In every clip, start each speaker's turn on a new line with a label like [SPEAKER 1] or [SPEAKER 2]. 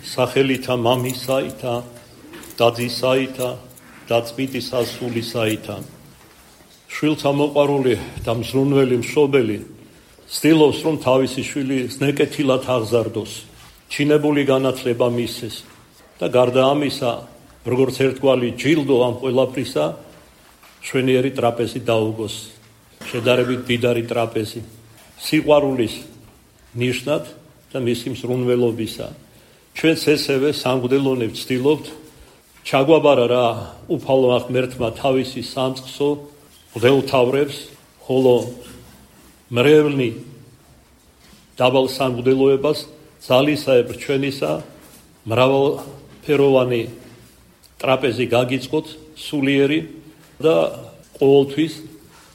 [SPEAKER 1] სახელითა მამისაითა და ძისაითა და წმინდისა სულისაითა. შვილთა მოყვარული და მზრუნველი მშობელი ცდილობს, რომ თავისი შვილი ზნეკეთილად აღზარდოს, ჩინებული განათლება მისცეს და გარდა ამისა, როგორც ერთგვარი ჯილდო ამ ყველაფრისა, მშვენიერი ტრაპეზი დაუგოს, შედარებით მდიდარი ტრაპეზი, სიყვარულის ნიშნად და მისი მზრუნველობისა. ჩვენც ესევე სამღვდელონე ვცდილობთ ჩაგვაბარა რა უფალმა ღმერთმა თავისი სამწყსო მღვდელთავრებს, ხოლო მრევლნი დაბალ სამღვდელოებას ძალისაებრ ჩვენისა მრავალფეროვანი ტრაპეზი გაგიწყოთ სულიერი და ყოველთვის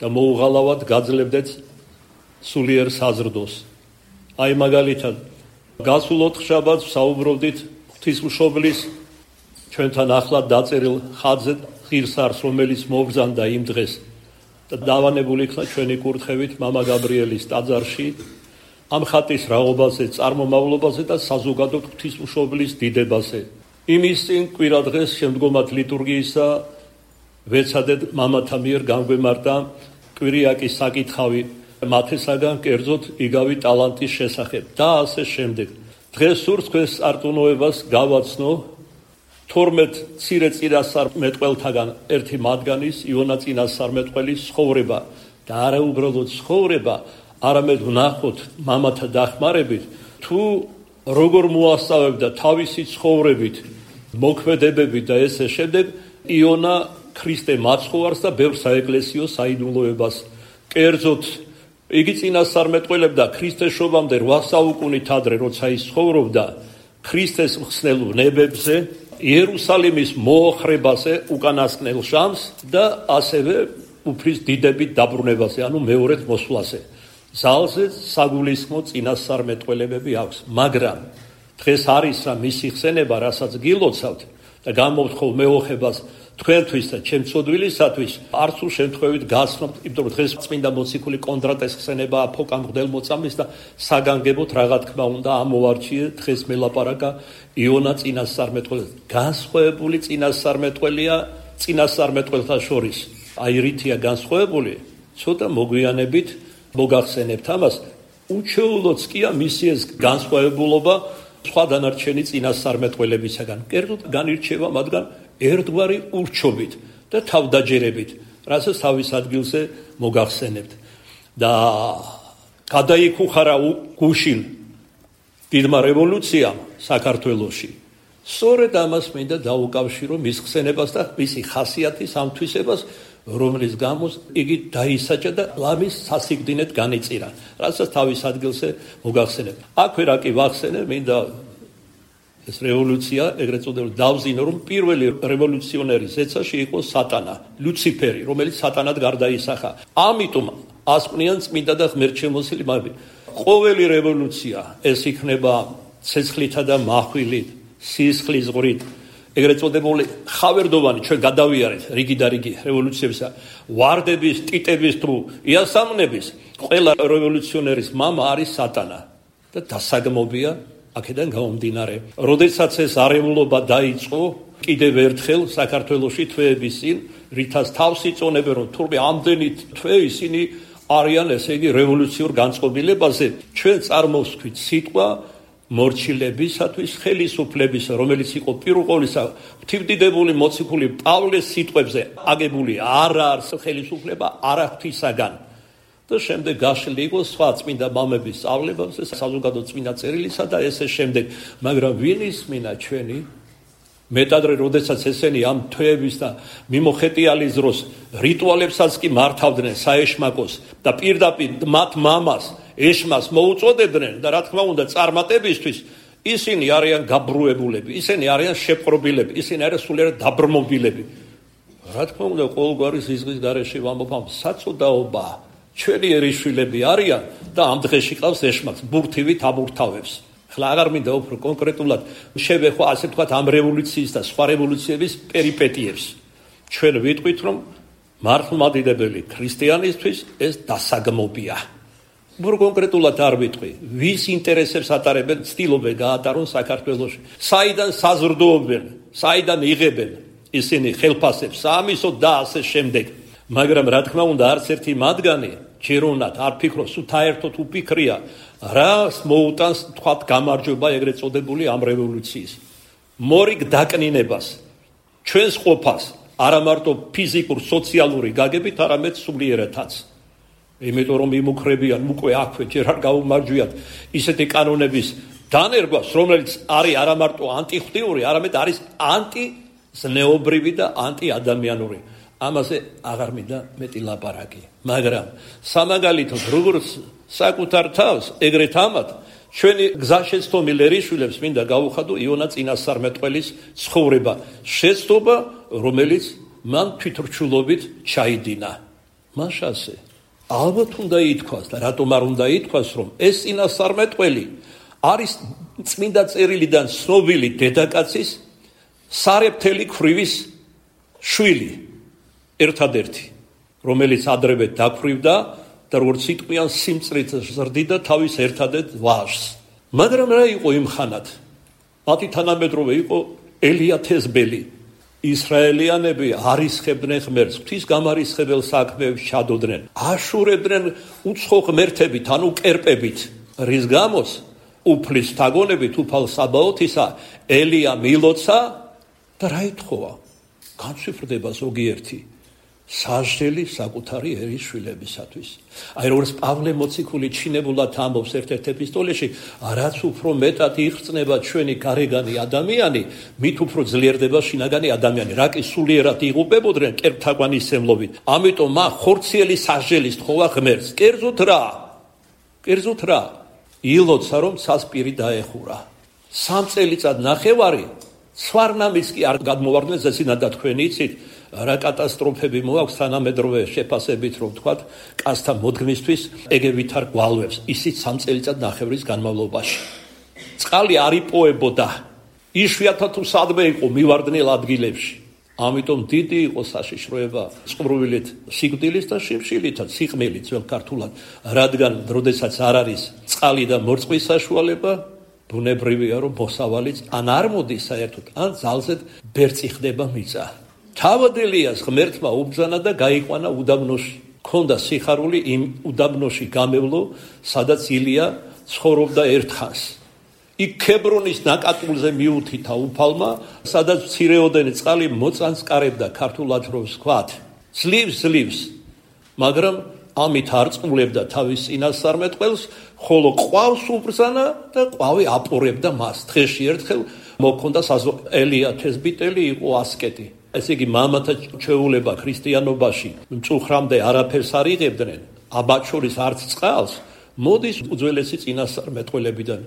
[SPEAKER 1] და მოუღალავად გაძლევდეთ სულიერ საზრდოს. აი მაგალითად გასულ ოთხშაბათს საუბრობდით ღვთისმშობლის ჩვენთან ახლად დაწერილ ხატზე ღირსარს, რომელიც მობრძანდა იმ დღეს და დავანებული იქნა ჩვენი კურთხევით მამა გაბრიელის ტაძარში ამ ხატის რაობაზე, წარმომავლობაზე და საზოგადოდ ღვთისმშობლის დიდებაზე. იმის წინ კვირა დღეს შემდგომად ლიტურგიისა ვეცადეთ მამათა მიერ განგვემართა კვირიაკის საკითხავი მათესაგან კერძოდ იგავი ტალანტის შესახებ და ასე შემდეგ. დღეს სურს თქვენს არტუნოებას გავაცნო 12 მცირე წინასწარმეტყველთაგან ერთი მათგანის იონა წინასწარმეტყველის ცხოვრება და არა უბრალოდ ცხოვრება, არამედ ვნახოთ მამათა დახმარებით თუ როგორ მოასწავებდა თავისი ცხოვრებით, მოქმედებებით და ესე შემდეგ იონა ქრისტე მაცხოვარს და ბევრ საეკლესიო საიდუმლოებას. კერძოდ იგი წინასწარმეტყველებდა ქრისტეშობამდე 8 საუკუნით ადრე, როცა ის ცხოვრობდა ქრისტეს მხსნელ ვნებებზე, იერუსალიმის მოოხრებაზე უკანასკნელ ჟამს და ასევე უფლის დიდებით დაბრუნებაზე, ანუ მეორედ მოსვლაზე. ძალზე საგულისხმო წინასწარმეტყველებები აქვს, მაგრამ დღეს არის რა მისი ხსენება, რასაც გილოცავთ და გამოვთხოვ მეოხებას თქვენთვის და ჩემწოდვილისათვის არც უ შემთხვევით გასცნობთ, იმიტომ რომ დღეს წმინდა მოციქული კონდრატეს ხსენებაა ფოკამ მღვდელმოწამის და საგანგებოდ რა თქმა უნდა ამოვარჩიე დღეს მელაპარაკა იონა წინასწარმეტყველს. განსხვავებული წინასწარმეტყველია წინასწარმეტყველთა შორის. აი რითია განსხვავებული, ცოტა მოგვიანებით მოგახსენებთ ამას. უჩვეულოც კია მისი ეს განსხვავებულობა სხვა დანარჩენი წინასწარმეტყველებისაგან. კერძოდ განირჩევა მათგან ერთგვარი ურჩობით და თავდაჯერებით, რასაც თავის ადგილზე მოგახსენებთ. და გადაიქუხარა გუშინ დიდმა რევოლუციამ საქართველოში. სწორედ ამას მინდა დაუკავშირო მის ხსენებას და მისი ხასიათის ამ თვისებას, რომლის გამო იგი დაისაჭა და ლამის სასიკვდინედ განიწირა, რასაც თავის ადგილზე მოგახსენებთ. აქვე რა კი ვახსენე, მინდა ეს რევოლუცია ეგრეთ წოდებული დავზინო, რომ პირველი რევოლუციონერი ზეცაში იყო სატანა, ლუციფერი, რომელიც სატანად გარდაისახა. ამიტომ ასკვნიან წმინდა და ღმერთშემოსილი მაგები. ყოველი რევოლუცია ეს იქნება ცეცხლითა და მახვილით, სისხლის ღვრით, ეგრეთ წოდებული ხავერდოვანი ჩვენ გადავიარეთ რიგი და რიგი რევოლუციებისა, ვარდების, ტიტების თუ იასამნების, ყველა რევოლუციონერის მამა არის სატანა და დასაგმობია აქედან გამომდინარე. როდესაც ეს არეულობა დაიწყო, კიდევ ერთხელ საქართველოში თვეების წინ, რითაც თავს იწონებენ, რომ თურმე ამდენი თვე ისინი არიან, ესე იგი, რევოლუციურ განწყობილებაზე, ჩვენ წარმოვსქვით სიტყვა მორჩილებისათვის ხელისუფლების, რომელიც იყო პირველ ყოვლისა ღვთივდიდებული მოციქული პავლეს სიტყვებზე აგებული, არა არც ხელისუფლება, არა ღვთისაგან. და შემდეგ გაშლილი იყო სხვა წმინდა მამების სწავლებებზე, საზოგადო წმინდა წერილისა და ესე შემდეგ. მაგრამ ვინ ისმინა ჩვენი მეტადრე, როდესაც ესენი ამ თვეების და მიმოხეტიალის დროს რიტუალებსაც კი მართავდნენ საეშმაკოს და პირდაპირ მათ მამას ეშმას მოუწოდებდნენ და რა თქმა უნდა წარმატებისთვის ისინი არიან გაბრუებულები, ისინი არიან შეპყრობილები, ისინი არიან სულიერად დაბრმობილები. რა თქმა უნდა ყოველგვარი ზიზღის გარეშე ვამბობ, საწოდაობა ჩვენი ერისშვილები არიან და ამ დღეში ყავს ეშმაკს, ბურთივით ამურთავებს. ხლა აღარ მინდა უფრო კონკრეტულად შევეხო, ასე ვთქვათ, ამ რევოლუციის და სხვა რევოლუციების პერიპეტიებს. ჩვენ ვიტყვით, რომ მართლმადიდებელი ქრისტიანისთვის ეს დასაგმობია. კონკრეტულად არ ვიტყვი, ვის ინტერესებს ატარებენ, ცდილობენ გაატარონ საქართველოში. საიდან საზრდოობენ, საიდან იღებენ ისინი ხელფასებს, საამისოდ და ასე შემდეგ. მაგრამ რა თქმა უნდა, არც ერთი მათგანი ჯეროვნად არ ფიქრობს, თუ საერთოდ უფიქრია, რას მოუტანს თქვათ გამარჯვება ეგრეთ წოდებული ამ რევოლუციის. მორიგ დაკნინებას, ჩვენს ყოფას, არა მარტო ფიზიკურ, სოციალური გაგებით, არამედ სულიერათაც. იმიტომ რომ იმუქრებიან უკვე აქვე ჯერ არ გაუმარჯვიათ ისეთი კანონების დანერგვას, რომელიც არის არა მარტო ანტიხვდიური, არამედ არის ანტიზნეობრივი და ანტიადამიანური. ამაზე აღარ მინდა მეტი ლაპარაკი. მაგრამ სამაგალითოდ როგორც საკუთარ თავს, ეგრეთ ამათ ჩვენი გზაშეცდომილ ერისშვილებს მინდა გავუხადო იონა წინასწარმეტყველის ცხოვრება, შეცდომა, რომელიც მან თვითრჩულობით ჩაიდინა. მაშასე ალბათ უნდა ითქვას და რატომ არ უნდა ითქვას, რომ ეს წინასწარმეტყველი არის წმინდა წერილიდან ცნობილი დედაკაცის სარეფთელი ქვრივის შვილი, ერთადერთი, რომელიც ადრევე დაქვრივდა და როგორც იტყვიან სიმწრით ზრდიდა თავის ერთადერთ ვაჟს. მაგრამ რა იყო იმ ხანად? მათი თანამედროვე იყო ელია თესბელი. ისრაელიანები არისხებდნენ ღმერთს, ღვთის გამარისხებელ საქმეებს ჩადოდნენ, აშურებდნენ უცხო ღმერთებით, ანუ კერპებით, რის გამოც უფლის თაგონებით უფალ საბაოთისა ელია მილოცა და რა ითხოვა? განცვიფრდება ზოგიერთი სასჯელი საკუთარი ერისშვილებისათვის. აი როგორც პავლე მოციქული ჩინებულად ამბობს ერთ-ერთ ეპისტოლეში, რაც უფრო მეტად იღწნება ჩვენი გარეგანი ადამიანი, მით უფრო ძლიერდება შინაგანი ადამიანი. რა კი სულიერად იღუპებოდნენ კერპთაგვანისმცემლობით. ამიტომ მა ხორციელი სასჯელის თხოვა ღმერთს. კერძოდ რა? ილოცა რომ სასპირი დაეხურა. 3 წელიწად ნახევარი სვარნამის კი არ გადმოვარდნენ ზესინადა თქვენი იცით რა კატასტროფები მოაქვს თანამედროვე შეფასებით რომ თქვათ კაცთა მოდგმისთვის ეგევითარ გვალვებს ისიც 3 წელიწად ნახევრის განმავლობაში. წყალი არ იპოებოდა, იშვიათად თუ სადმე იყო მივარდნილ ადგილებში. ამიტომ დიდი იყო საშიშროება წყურვილით სიკვდილის და შიმშილითაც სიყმელით ძველ ქართულად, რადგან როდესაც არ არის წყალი და მორწყვის საშუალება, ბუნებრივია რომ მოსავალიც ან არ მოდის საერთოდ, ან ძალზედ ბერწი ხდება მიწა. თავად ელიას ღმერთმა უბრძანა და გაიყვანა უდაბნოში. ქონდა სიხარული იმ უდაბნოში გამევლო, სადაც ილია ცხოვრობდა ერთხანს. იქ ქებრონის ნაკატულზე მიუთითა უფალმა, სადაც მცირეოდენი წყალი მოწანს კარებდა, ქართულად რომ ვთქვათ. ძლივს, მაგრამ ამით არ წყულებდა თავის წინასწარმეტყველს, ხოლო ყვავს უბრძანა და ყვავი აპორებდა მას. დღეში ერთხელ მოქონდა ელია თესბიტელი იყო ასკეტი. ესე იგი მამათა ჩვეულება ქრისტიანობაში მწუხრამდე არაფერს არ იღებდნენ, აბათ შორის არც წყალს, მოდის უძველესი წინასწარმეტყველებიდან,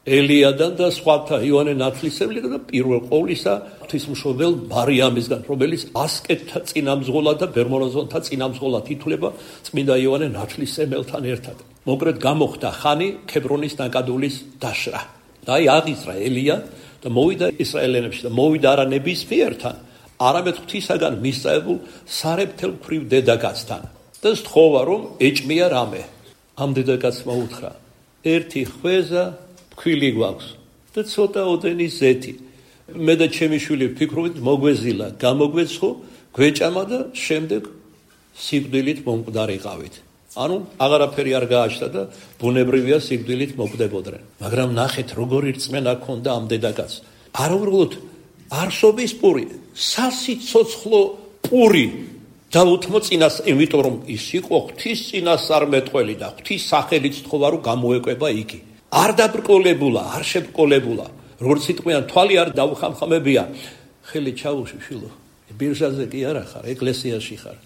[SPEAKER 1] ელიადან და სხვათა იოანე ნათლისმცემლიდან და პირველ ყოვლისა ღვთისმშობელ მარიამისგან, რომელიც ასკეტთა წინამძღოლად და ბერმონაზონთა წინამძღოლად ითვლება წმინდა იოანე ნათლისმცემელთან ერთად. მოკლედ გამოხდა ხანი ქებრონის ნაკადულის დაშრა. და აი აღიზრა ელია და მოვიდა ისრაელიანებში და მოვიდა არა ნებისმიერთან, არამედ ღვთისაგან მისწავებულ სარეფთელ ქვრივ დედაკაცთან და სთხოვა რომ ეჭმია რამე. ამ დედაკაცმა უთხრა, ერთი ხვეზა ფქვილი გვაქვს და ცოტა ოდენი ზეთი. მე და ჩემი შვილი ვფიქრობთ მოგვეზილა, გამოგვეცხო, გვეჭამა და შემდეგ სიკვდილით მომკვდარიყავით. ანუ აღარაფერი არ გააჩნდა და ბუნებრივია სიკვდილით მოკვდებოდნენ. მაგრამ ნახეთ როგორი რწმენა ჰქონდა ამ დედაკაცს. არაუბრალოდ არსობის პური, სასიცოცხლო პური დაუთმო წინას, იმიტომ რომ ის იყო ღვთის წინასწარმეტყველი და ღვთის სახელით თხოვა რომ გამოეკვება იგი. არ დაბრკოლებულა, არ შებრკოლებულა. როგორც იტყვიან, თვალი არ დაუხამხამებია. ხელი ჩაუში შილო. ბირჟაზე კი არა ხარ, ეკლესიაში ხარ.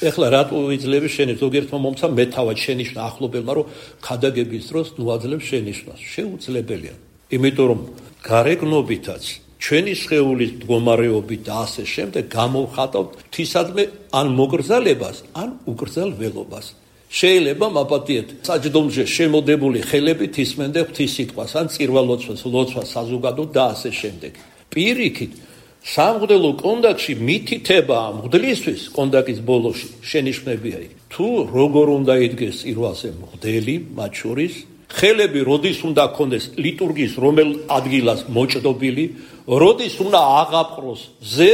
[SPEAKER 1] ეხლა რატო ვიძლები შენი ზოგიერთმა მომცა მეთავად შენიშნა ახლობელმა რომ ქადაგების დროს ნუაძლებს შენიშნას. შეუძლებელია. იმიტომ რომ გარეგნობითაც ჩვენი სხეულის მდგომარეობით და ასე შემდეგ გამოვხატავთ ღვთისადმე ან მოგრძალებას, ან უკრძალველობას. შეიძლება მაპატიეთ საჯდომზე შემოდებული ხელებით ისმენდე ღვთის სიტყვას, ან წირვალოცვას, ლოცვას საზოგადოდ და ასე შემდეგ. პირიქით, სამღვდელო კონდაკში მითითება მღვდლისთვის კონდაკის ბოლოში შენიშვნებია იქ. თუ როგორ უნდა იდგეს წირვაზე მღვდელი მათ შორის, ხელები როდის უნდა ქონდეს ლიტურგიის რომელ ადგილას მოჭდობილი, როდის უნდა აღაპყროს ზე,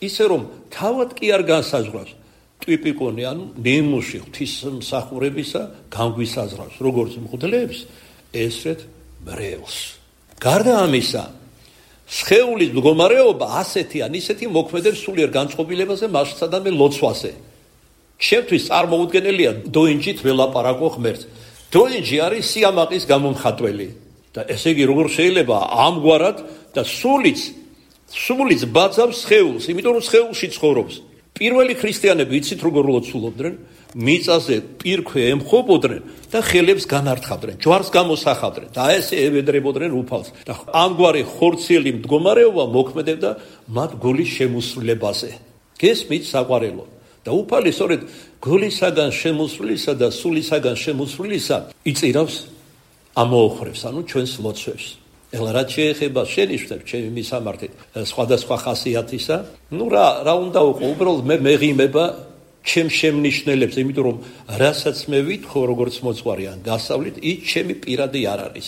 [SPEAKER 1] ისე რომ თავად კი არ განსაზღვრავს ტიპიკონი, ანუ ნიმუში ღვთისმსახურებისა განგვისაზღვრავს როგორც მღვდლებს, ესრეთ მრევლს. გარდა ამისა, სხეულის მდგომარეობა ასეთი ან ისეთი მოქმედებს სულიერ განწყობილებაზე, მასშტაბსა და ლოცვაზე. ჩემთვის წარმოუდგენელია დოინჯით ველაპარაკო ღმერთს. დოინჯი არის სიამაყის გამომხატველი და ესე იგი როგორ შეიძლება ამგვარად და სულიც ბაძავს სხეულს, იმიტომ რომ სხეულში ცხოვრობს. პირველი ქრისტიანები იცით როგორ ლოცულობდნენ, მიწაზე პირქვე ემხობოდნენ და ხელებს განართხავდნენ, ჯვარს გამოსახავდნენ და ესე ევედრებოდნენ უფალს. და ამგვარი ხორციელი მდგომარეობა მოქმედებდა მათ გულის შემოსრულებაზე. გესმით საყვარელო? და უფალი სწორედ გულისაგან შემოსრულისა და სულისაგან შემოსრულისა იწირავს ამოოხრებს, ანუ ჩვენს ლოცვებს. ეხლა რაც შეეხება შენიშვნებს ჩემი მისამართით სხვადასხვა ხასიათისა, რა უნდა უყო, უბრალოდ მე მეღიმება ჩემ შემნიშნელებს, იმიტომ რომ რასაც მე ვითხოვ როგორც მოწვარიან გასავლით, ის ჩემი პირადი არ არის.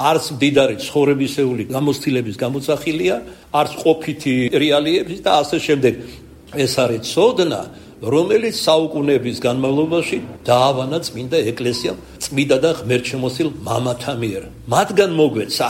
[SPEAKER 1] არც მდიდარი ცხოვრებისეული გამოცდილების გამოძახილია, არც ყოფითი რეალიების და ასე შემდეგ. ეს არის ცოდნა, რომელიც საუკუნეების განმავლობაში დაავანა წმინდა ეკლესიამ, წმინდა და ღმერთშემოსილ მამათა მიერ. მათგან მოგვეცა.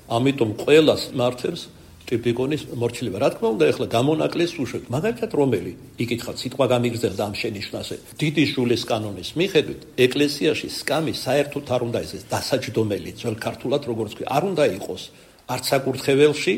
[SPEAKER 1] ამიტომ ყველას მართებს ტიპიკონის მორჩილება. რა თქმა უნდა, ეხლა გამონაკლეს უშვებთ. მაგალითად, რომელი იკითხავთ, სიტყვა გამიგრძელდა ამ შენიშვნაზე. დიდი შულის კანონის მიხედვით, ეკლესიაში სკამი საერთოდ არ უნდა ისეს დასაჯდომელი, ძველ ქართულად როგორც ქვია, არ უნდა იყოს არც საკურთხეველში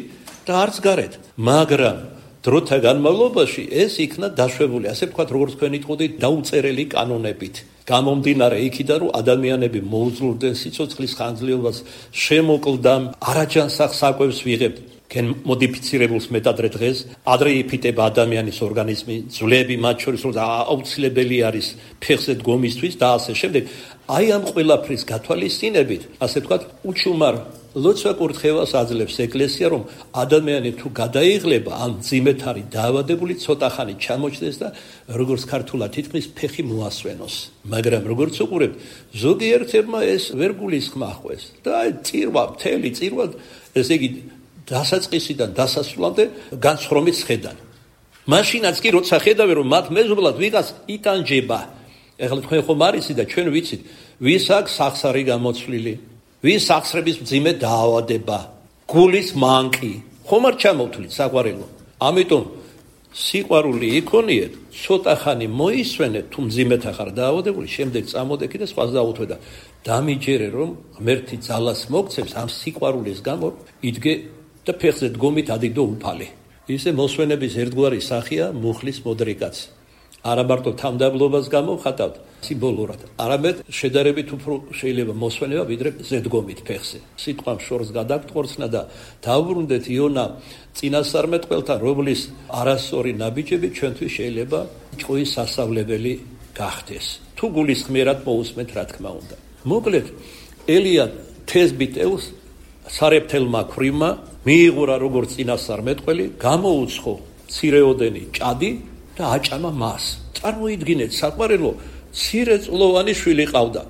[SPEAKER 1] და არც გარეთ. მაგრამ დროთა განმავლობაში ეს იქნა დაშვებული, ასე ვთქვათ, როგორც თქვენ იტყოდით, დაუწერელი კანონებით. გამომდინარე იქიდან, რომ ადამიანები მოუძლურდნენ სიცოცხლის ხანგრძლივობას, შემოკლდამ, არაჯანსაღ საკვებს ვიღებთ. გენ მოდიფიცირებულს მეტადრე დღეს, ადრე იფიტება ადამიანის ორგანიზმი, ძვლები მათ შორის, რომ აუცილებელი არის ფეხზე დგომისთვის და ასე შემდეგ. აი ამ ყველაფრის გათვალისწინებით, ასე ვთქვათ, უჩუმარ ლოცვა კურთხევას აძლევს ეკლესია, რომ ადამიანი თუ გადაიღლება, ან მძიმედ არის დაავადებული, ცოტა ხანი ჩამოჩნდეს და როგორც ქართულად თითქმის ფეხი მოასვენოს. მაგრამ როგორც უყურებთ, ზოგიერთებმა ეს ვერ გულისხმახყვეს და მთელი წირვა, ესე იგი დასაწყისიდან დასასრულამდე განსხრომით ხედან. მაშინაც კი როცა ხედავენ, რომ მათ მეზობლად ვიღაც იტანჯება. ეხლა თქვენ ხომ არიცით და ჩვენ ვიცით, ვის აქვს სახსარი გამოცვლილი, ვის სახსრების მძიმე დაავადება, გულის მანკი. ხომ არ ჩამოვთვლით საყვარელო? ამიტომ სიყვარული იქონიეთ, ცოტა ხანი მოისვენეთ, თუ მძიმედ ახარ დაავადებული, შემდეგ წამოდექი და სხვას დაუთვე და დამიჯერე, რომ ღმერთი ძალას მოგცემს ამ სიყვარულის გამო, იდგე და ფეხზე დგომით ადიდო უფალი. ისე მოსვენების ერთგვარი სახეა მუხლის მოდრიკაც. არა მარტო თავდაბლობას გამოვხატავთ სიმბოლურად, არამედ შედარებით უფრო შეიძლება მოსვენება ვიდრე ზედგომით ფეხზე. სიტყვამ შორს გადაგტყორცნა და დავბრუნდეთ იონა წინასწარმეტყველთან, რომლის არასწორი ნაბიჯები ჩვენთვის შეიძლება ჭყვის სასწავლებელი გახდეს. თუ გულისხმიერად მოусმენთ, რა თქმა უნდა. მოკლედ, ელია თესბიტელს სარეფთელმა ქვრივმა მიიღურა როგორც წინასწარმეტყველი, გამოუცხო მცირეოდენი ჭადი და აჭამა მას. წარმოიდგინეთ, საყვარელო, მცირეწლოვანი შვილი ყავდა,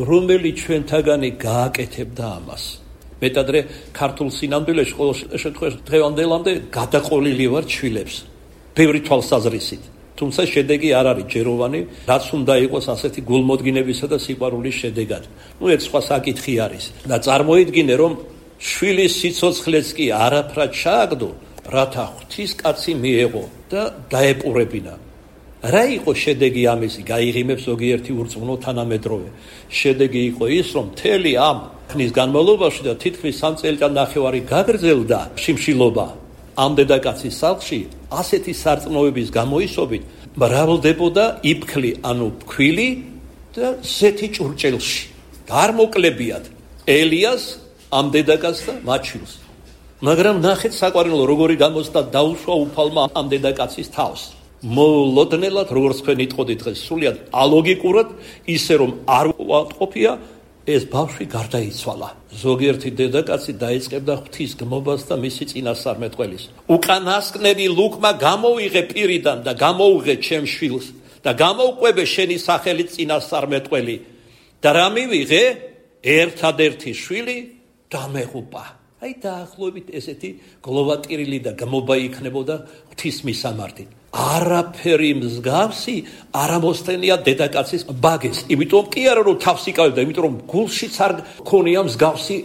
[SPEAKER 1] რომელიც ჩვენთაგანი გააკეთებდა ამას. მეტადრე ქართულ სინამდვილეში ყოველ შემთხვევაში დღევანდელამდე გადაყოლილი ვარ შვილებს, ბევრი თვალსაზრისით. თუმცა შედეგი არ არის ჯეროვანი, რაც უნდა იყოს ასეთი გულმოდგინებისა და სიყვარულის შედეგად. ეს სხვა საკითხი არის. და წარმოიდგინე, რომ შვილის სიცოცხლეც კი არაფრად ჩააგდო, რათა ღვთისკაცი მიეღო და დაეპურებინა. რა იყო შედეგი ამისი? გაიღიმებს ზოგიერთი ურწმუნო თანამედროვე. შედეგი იყო ის, რომ მთელი ამ ხნის განმავლობაში და თითქმის 3 წელიწად-ნახევარი გაგრძელდა შიმშილობა ამ დედაკაცის სახლში, ასეთი სარწმუნოების გამოისობით მრავლდებოდა იფქლი, ანუ ფქვილი და ზეთი ჭურჭელში. არ მოკლებიათ ელიას ამ დედაკაცს და მათ შვილს. მაგრამ ნახეთ საყვარელო, როგორი გამოცდა დაუშვა უფალმა ამ დედაკაცის თავს. მოულოდნელად, როგორც თქვენ იტყოდით დღეს, სრულიად ალოგიკურად, ისე რომ არ უარყოფია, ეს ბავშვი გარდაიცვალა. ზოგიერთი დედაკაცი დაიწყებდა ღვთის გმობას და მისი წინასწარმეტყველის. უკანასკნელი ლუკმა გამოიღე პირიდან და გამოუღე ჩემ შვილს და გამოვყვებე შენი სახელით წინასწარმეტყველი და რა მივიღე? ერთადერთი შვილი დამეღუპა. აი დაახლოებით ესეთი გლოვატირილი და გამობა იქნებოდა ღვთის მისამართით. არაფერი მსგავსი არ ამოსθენია დედაკაცის ბაგეს. იმიტომ კი არა რომ თავს იკავებდა, იმიტომ რომ გულშიც არ ქონია მსგავსი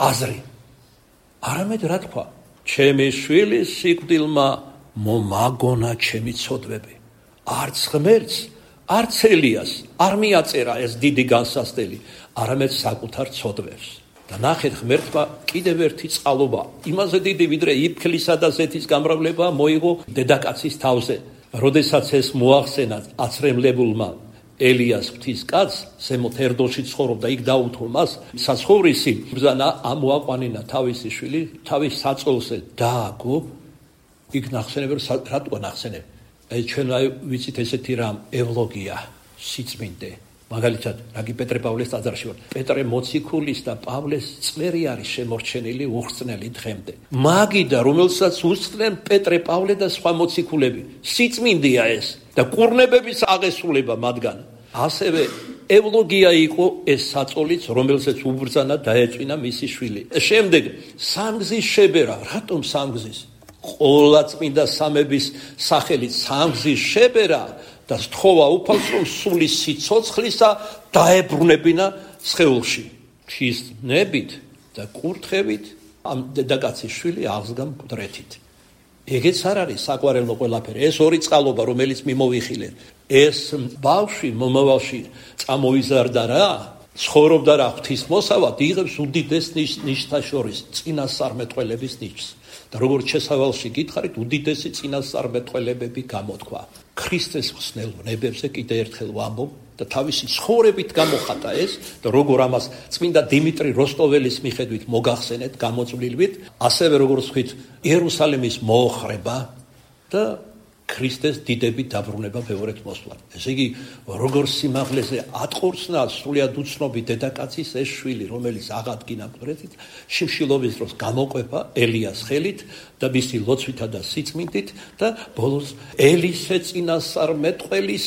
[SPEAKER 1] აზრი. არამედ რა თქვა? ჩემი შვილის სიკვდილმა მომაგონა ჩემი ცოდვები. არც ღმერთს, არც ელიას არ მიაწერა ეს დიდი განსასწრელი, არამედ საკუთარ ცოდვებს. და ნახეთ, ღმერთმა კიდევ ერთი წყალობა, იმაზე დიდი ვიდრე იფქლისა და ზეთის გამრავლება მოიღო დედაკაცის თავზე. როდესაც ეს მოახსენა აცრემლებულმა ელიას ღვთის კაცს, ზემოთ ერდოში ცხოვრობდა, იქ დაუთო მას საცხოვრისი, ბრძანა ამოაყვანინა თავისი შვილი თავის საწოლზე დააგო. იქ ნახსენებენ, რატო ნახსენებ? ჩვენ ვიცით ესეთი რამ, ევლოგია, სიწმინდე. მაგალითად, რაგი პეტრე პავლეს ტაძარში ვარ. პეტრე მოციქულის და პავლეს წვერი არის შემორჩენილი უხრწნელი დღემდე. მაგიდა, რომელსაც უსწრენ პეტრე, პავლე და სხვა მოციქულები. სიწმინდეა ეს და კურნებების აღესრულება მათგან. ასევე ევლოგია იყო ეს საწოლიც, რომელსაც უბრძანა დაეწვინა მისი შვილი. შემდეგ სამგზის შებერა. რატომ სამგზის? ყოლა წმინდა სამების სახელით სამგზის შებერა და სთხოვა უფალს, რომ სული სიცოცხლისა დაებრუნებინა სხეულში. ჩიზნებით და კურთხევით ამ დედაკაცის შვილი აღსდგა მკვდრეთით. ეგეც არ არის საყვარელო ყველაფერი. ეს ორი წყალობა, რომელიც მიმოვიხილეთ. ეს ბავშვი მომავალში წამოიზარდა რა, ცხოვრობდა რა ღვთისმოსავად, იღებს უდიდეს ნიშთა შორის წინასწარმეტყველების ნიშს. და როგორც შესავალში გითხარით, უდიდესი წინასწარმეტყველებები გამოთქვა. ქრისტეს ხსნელ ვნებებზე კიდე ერთხელ ვამბობ და თავისი ცხოვრებით გამოხატა ეს და როგორ ამას წმინდა დიმიტრი როსტოველის მიხედვით მოგახსენეთ გამოწვლილვით, ასევე როგორც ვთქვით, იერუსალიმის მოოხრება და ქრისტეს დიდებით დაბრუნება ბევრად მოსვლა. ესე იგი, როგორ სიმაღლეზე ატყორცნა სრულიად უცნობი დედაკაცის ეს შვილი, რომელიც აღადგინა მკვდრეთით, შიმშილობის დროს გამოყვება ელიას ხელით და მისი ლოცვითა და სიწმინდით და ბოლოს ელისე წინასწარმეტყველის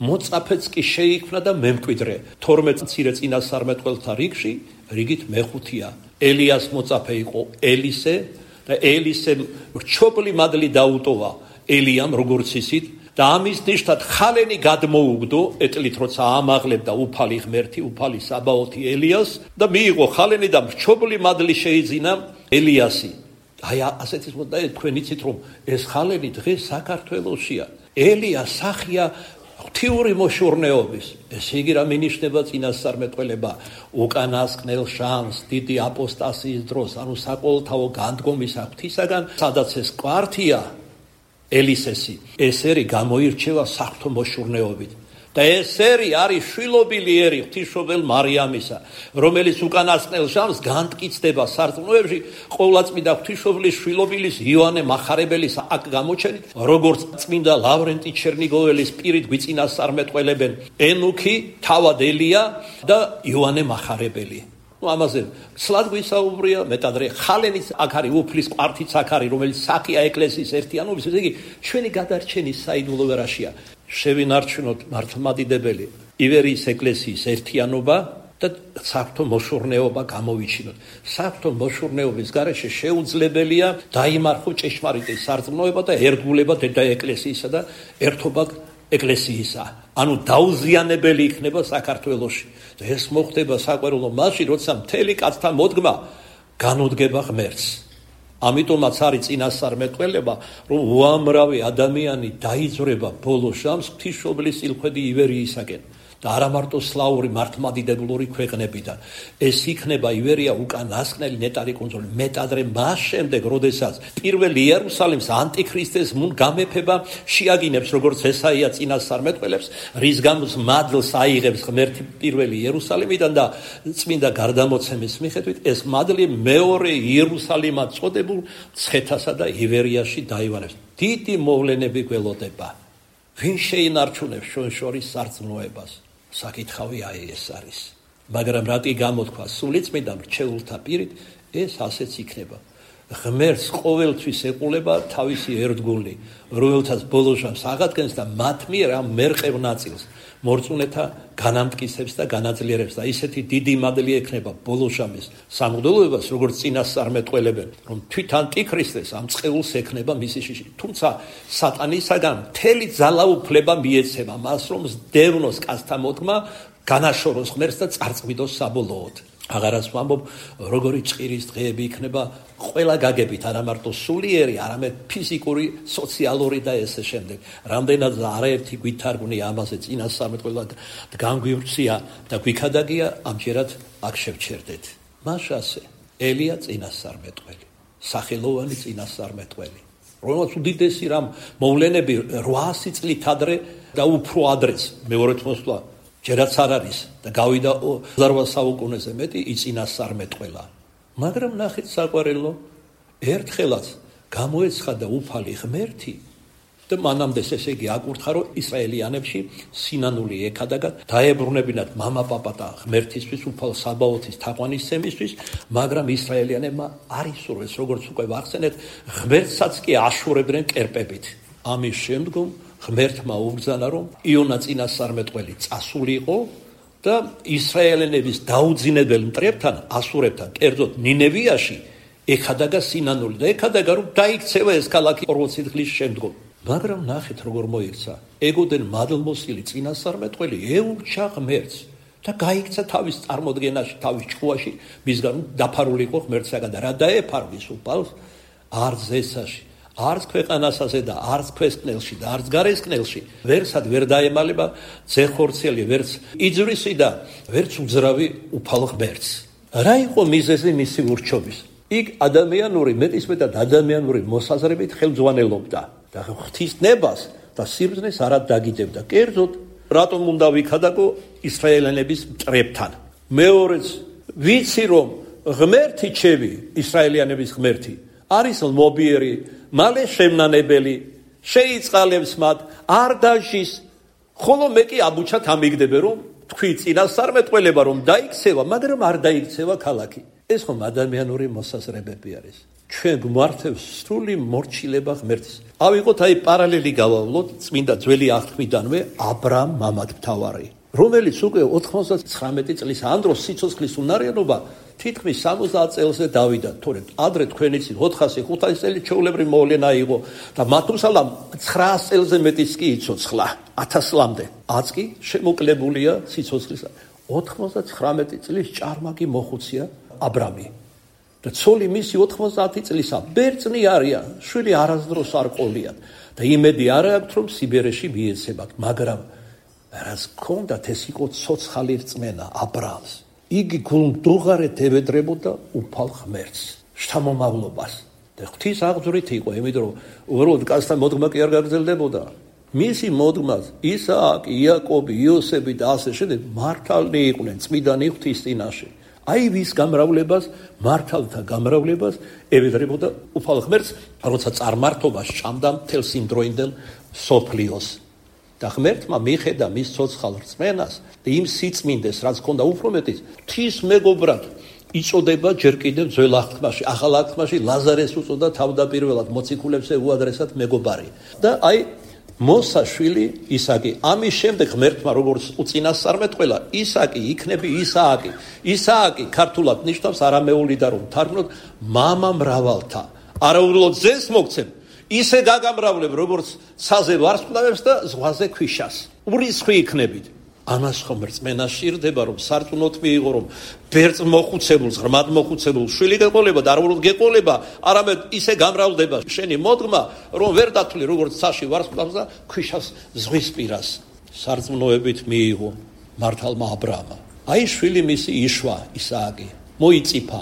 [SPEAKER 1] მოწაფეც კი შეიქმნა და მემკვიდრე. 12 მცირე წინასწარმეტყველთა რიგში, რიგით მეხუთეა. ელიას მოწაფე იყო ელისე და ელისემ რჩობლი მადლი დაუტოვა ელიამ, როგორც ისით, და ამის ნიშნად ხალენი გადმოუგდო, ეტლით როცა ამაღლებდა უფალი ღმერთი, უფალი საბაოთი ელიას და მიიღო ხალენი და რჩობლი მადლი შეიძინა ელიასი. აი ასეთის მოდა თქვენ იცით რომ ეს ხალენი დღეს საქართველოშია. ელია სახია ღვთიური მოშურნეობის. ესე იგი რა მინიშნება წინასწარმეტყველება უკანასკნელ შანს დიდი აპოსტასიის დროს, ანუ საყოველთაო განდგომის ღვთისაგან, სადაც ეს კვართია ელისესი, ესერი გამოირჩევა საღვთო მოშურნეობით. და ესერი არის შვილობილი ერი ღვთისმშობელ მარიამისა, რომელიც უკანასკნელ შანს განმტკიცდება სარწმუნოებში ყოვლადწმინდა ღვთისმშობლის შვილობილის იოანე მახარებელის აქ გამოჩენით, როგორც წმინდა ლავრენტი ჩერნიგოველის პირით გვიწინასწარმეტყველებენ ენუქი, თავად ელია და იოანე მახარებელი. ამაზე სლად გვისაუბრია, მეტადრე ხალენის აქ არის, უფლის კვართიც აქ არის, რომელიც სახია ეკლესიის ერთიანობის. ესე იგი, ჩვენი გადარჩენის საიდუმლო ვერაშია. შევინარჩუნოთ მართლმადიდებელი ივერიის ეკლესიის ერთიანობა და საღვთო მოშურნეობა გამოვიჩინოთ. საღვთო მოშურნეობის გარეშე შეუძლებელია დაიმარხო ჭეშმარიტი სარწმუნოება და ერთგულება დედა ეკლესიისა და ერთობა ეკლესიისა. ანუ დაუზიანებელი იქნება საქართველოში. და ეს მოხდება საყვარელო მასში, როცა მთელი კაცთა მოდგმა განუდგება ღმერთს. ამიტომაც არის წინასწარმეტყველება, რომ უამრავი ადამიანი დაიძრება ბოლო ჟამს ღვთისმშობლის სილხვედი ივერიისაკენ და არა მარტო სლავური მართლმადიდებლური ქვეყნებიდან. ეს იქნება ივერია უკანასკნელი ნეტარი კუნძული. მეტადრე მას შემდეგ, როდესაც პირველი იერუსალიმს ანტიქრისტეს გამეფება შეაგინებს, როგორც ესაია წინასწარმეტყველებს, რის გამოც მადლს აიღებს ღმერთი პირველი იერუსალიმიდან და წმინდა გარდამოცემის მიხედვით ეს მადლი მეორე იერუსალიმად წოდებულ ცხეთასა და ივერიაში დაივანებს. დიდი მოვლენები გველოდება. ვინ შეინარჩუნებს ჩვენ შორის სარწმუნოებას? საკითხავი აი ეს არის. მაგრამ რატი გამოთქვა სულიწმიდა მრჩეულთა პირით, ეს ასეც იქნება. ღმერთს ყოველთვის ეყოლება თავისი ერთგული, რომელთაც ბოლოშავს აღადგენს და მათ მიერ ამ მერყევ ნაწილს მორწმუნეთა განამტკიცებს და განაძლიერებს და ისეთი დიდი მადლი ექნება ბოლოშამის სამღვდელოებას, როგორც წინასწარმეტყველებენ, რომ თვით ანტიქრისტეს ამ წყეულს ექნება მისი შიში. თუმცა სატანისაგან მთელი ძალაუფლება მიეცემა მას, რომ სდევნოს კაცთა მოდგმა, განაშოროს ღმერთს და წარწმიდოს საბოლოოდ. აღარაც ვამბობ, როგორი ჭირის დღეები იქნება ყველა გაგებით, არა მარტო სულიერი, არამედ ფიზიკური, სოციალური და ესე შემდეგ. რამდენად არაერთი გვითარგმნია ამაზე წინასწარმეტყველად განგვივრცია და გვიქადაგია, ამჯერად აქ შევჩერდეთ. მაშასე ელია წინასწარმეტყველი, სახელოვანი წინასწარმეტყველი, რომელსაც უდიდესი რამ მოვლენები 800 წლით ადრე და უფრო ადრეც მეორედ მოსვლა ჯერაც არ არის და გავიდა 8 საუკუნეზე მეტი იწინასწარმეტყველა. მაგრამ ნახეთ საყვარელო, ერთხელაც გამოეცხადა უფალი ღმერთი და მანამდე ესე იგი აკურთხა, რომ ისრაელიანებში სინანული ექადაგა დაებრუნებინათ მამა-პაპა და ღმერთისთვის უფალ საბაოთის თაყვანისცემისთვის, მაგრამ ისრაელიანებმა არ ისურვეს, როგორც უკვე ვახსენეთ, ღმერთსაც კი აშურებდნენ კერპებით. ამის შემდგომ ღმერთმა უბრძანა, რომ იონა წინასწარმეტყველი წასულიყო და ისრაელიანების დაუძინებელ მტრებთან, ასურებთან, კერძოდ ნინევიაში ეხადაგა სინანული და ეხადაგა, რომ დაიქცევა ეს ქალაქი 40 დღის შემდგომ. მაგრამ ნახეთ როგორ მოიქცა. ეგოდენ მადლმოსილი წინასწარმეტყველი ეურჩა ღმერთს და გაიქცა თავის წარმოდგენაში, თავის ჭკუაში, მისგან დაფარულიყო ღმერთსაგან და რა დაეფარვის უფალს არც ზესაში, არც ქვეყანასაზე და არც ქვესკნელში და არც გარესკნელში ვერსად ვერ დაემალება ძეხორცელი, ვერც იძვრისი და ვერც უძრავი უფალ ღმერთს. რა იყო მიზეზი მისი ურჩობის? იქ ადამიანური, მეტისმეტად ადამიანური მოსაზრებით ხელმძღვანელობდა და ღვთისნებას და სიბრძნეს არად დაგიდებდა. კერძოდ, რატომ უნდა ვიქადაგო ისრაელიანების მტრებთან? მეორეც, ვიცი რომ ღმერთი ჩემი, ისრაელიანების ღმერთი, არის ლმობიერი, მალე შემნანებელი, შეიწყალებს მათ, არ დაჟის, ხოლო მე კი აბუჩად ამიგდები, რომ თქვი წინასწარმეტყველება რომ დაიქცევა, მაგრამ არ დაიქცევა ქალაქი. ეს ხომ ადამიანური მოსაზრებები არის. ჩვენ გვმართებს სრული მორჩილება ღმერთის. ავიღოთ აი პარალელი გავავლოთ წმინდა ძველი აღთქმიდანვე აბრამ მამათმთავარი, რომელიც უკვე 99 წლის ამ დროს სიცოცხლის უნარიანობა თითქმის 70 წელზე დავიდა, თორემ ადრე თქვენ იცით 400-500 წელი ჩვეულებრივი მოვლენა იყო და მათუსალამ 900 წელზე მეტიც კი იცოცხლა 1000 წლამდე. აც კი შემოკლებულია სიცოცხლისა. 99 წლის ჭარმაკი მოხუცია აბრამი და ცოლი მისი 90 წლისა ბერწნი არიან, შვილი არასდროს არ ყოლიათ და იმედი არ აქვს რომ სიბერეში მიეცემათ, მაგრამ რაც ჰქონდათ ეს იყო ცოცხალი რწმენა აბრამს. იგი გულმდუღარეთ ევედრებოდა უფალ ღმერთს, შთამომავლობას და ღვთის აღძვრით იყო, იმიტომ რომ უბრალოდ კაცთან მოდგმა კი არ გაგრძელდებოდა. მისი მოდგმას ისააკი, იაკობი, იოსები და ასე შემდეგ მართალნი იყვნენ წმინდანი ღვთის წინაშე. აი ვის გამრავლებას, მართალთა გამრავლებას ევედრებოდა უფალ ღმერთს, როცა წარმართობას ჭამდა მთელ სიმდროინდელ სოფლიოს. და ღმერთმა მიხედა მის ცოცხალ რწმენას და იმ სიწმინდეს, რაც ჰქონდა უფრო მეტიც, ღვთის მეგობრად იწოდება ჯერ კიდევ ძველ აღთქმაში, ახალ აღთქმაში ლაზარეს უწოდა თავდაპირველად მოციქულებს უადრესად მეგობარი. და აი მოსა შვილი ისააკი. ამის შემდეგ ღმერთმა როგორც უწინასწარმეტყველა, ისააკი იქნები ისააკი. ისააკი ქართულად ნიშნავს არამეული და რომ თარგმნოთ მამა მრავალთა. არაუბრალოდ ძეს მოგცემ, ისე გაგამრავლებ, როგორც ცაზე ვარსკვლავებს და ზღვაზე ქვიშას. ურისხვი იქნებით. ამას ხომ რწმენა სჭირდება, რომ სარწმუნოდ მიიღო, რომ ბერწ მოხუცებულს, ღრმად მოხუცებულს შვილი გეყოლება და არ უბრალოდ გეყოლება, არამედ ისე გამრავლდება შენი მოდგმა, რომ ვერ დათვლი, როგორც ცაში ვარსკვლავს და ქვიშას ზღვის პირას. სარწმუნოებით მიიღო მართალმა აბრამა. აი შვილი მისი იშვა ისააკი, მოიწიფა.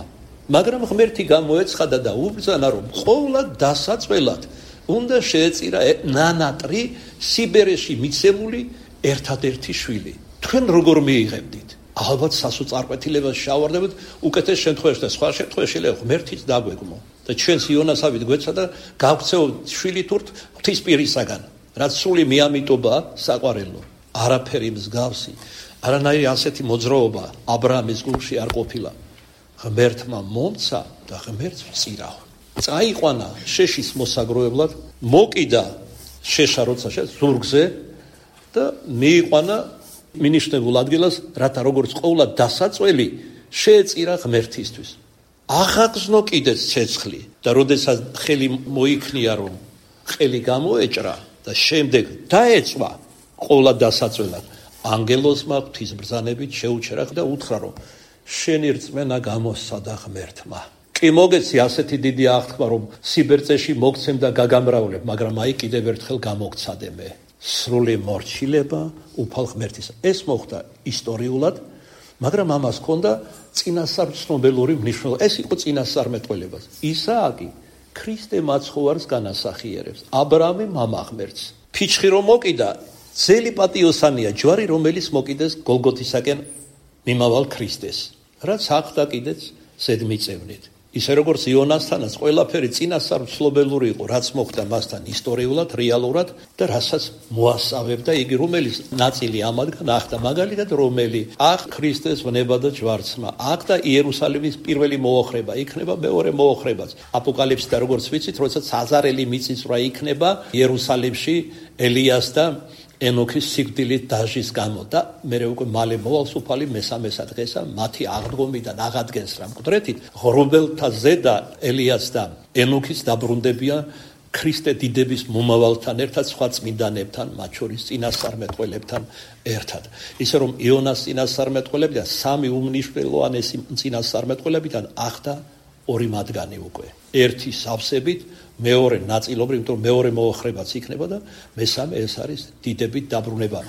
[SPEAKER 1] მაგრამ ღმერთი გამოეცხადა და უბრძანა, რომ ყოვლად დასაწველად უნდა შეეწირა ნანატრი სიბერეში მიცემული ერთადერთი შვილი. თქვენ როგორ მიიღებდით? ალბათ სასოწარკვეთილებას შევარდებთ უკეთეს შემთხვევაში და სხვა შემთხვევაში შეიძლება ღმერთიც დაგვეგმო და ჩვენს იონასავით გვეცა და გავქცევთ შვილი თურთ ღვთისპირისაგან, რაც სული მიამიტობა საყვარელო. არაფერი მსგავსი, არანაირი ასეთი მოძრაობა აბრაამის გულში არ ყოფილა. ღმერთმა მომცა და ღმერთს ვწირავ. წაიყვანა შეშის მოსაგროებლად, მოკიდა შეშა როცა ზურგზე და მიიყვანა მინიშნებულ ადგილას, რათა როგორც ყოვლა დასაწველი შეეწირა ღმერთისთვის. აღაგზნო კიდეც ცეცხლი და როდესაც ხელი მოიქნია, რომ ხელი გამოეჭრა და შემდეგ დაეწვა ყოვლა დასაწველად, ანგელოსმა ღვთისმბრძანებით შეუჩერა და უთხრა, რომ შენი რწმენა გამოსცადა ღმერთმა. კი მოგეცი ასეთი დიდი აღთქმა, რომ სიბერწეში მოგცემ და გაგამრავლებ, მაგრამ აი კიდევ ერთხელ გამოგცადე მე. სრული მორჩილება უფალ ღმერთისა. ეს მოხდა ისტორიულად, მაგრამ ამას ჰქონდა წინასწარ ცნობელური მნიშვნელობა. ეს იყო წინასწარმეტყველება. ისააკი ქრისტე მაცხოვარს განასახიერებს, აბრაამი მამა ღმერთს. ფიჩხი რომ მოკიდა, ძელი პატიოსანია ჯვარი, რომელიც მოკიდეს გოლგოთისაკენ მიმავალ ქრისტეს. რაც ახდა კიდეც ზედმიწევნით. ისე როგორც იონასთანაც ყველაფერი წინასწარ ცნობელური იყო, რაც მოხდა მასთან ისტორიულად, რეალურად და რასაც მოასწავებდა იგი, რომელიც ნაწილი ამაგან ახდა, მაგალითად რომელი ახ ქრისტეს ვნება და ჯვარცმა, აქ და იერუსალიმის პირველი მოოხრება, იქნება მეორე მოოხრებაც. აპოკალიფსი და როგორც ვიცით, როდესაც აზარელი მიწისძვრა იქნება იერუსალიმში ელიას და ენოქის სიკვდილით დაჟის გამო და მერე უკვე მალე მოვალს უფალი მესამესა დღესა მათი აღდგომიდან აღადგენს რა მკვდრეთით ღრუბელთა ზედა ელიას და ენოქის დაბრუნდებიან ქრისტე დიდების მომავალთან ერთად სხვა წმინდანებთან მათ შორის წინასწარმეტყველებთან ერთად ისე რომ იონას წინასწარმეტყველებიდან სამი უმნიშვნელოვანესი წინასწარმეტყველებიდან ახდა ორი მათგანი უკვე ერთი სავსებით მეორე ნაწილობრივ, იმიტომ რომ მეორე მოოხრებაც იქნება და მესამე ეს არის დიდებით დაბრუნება.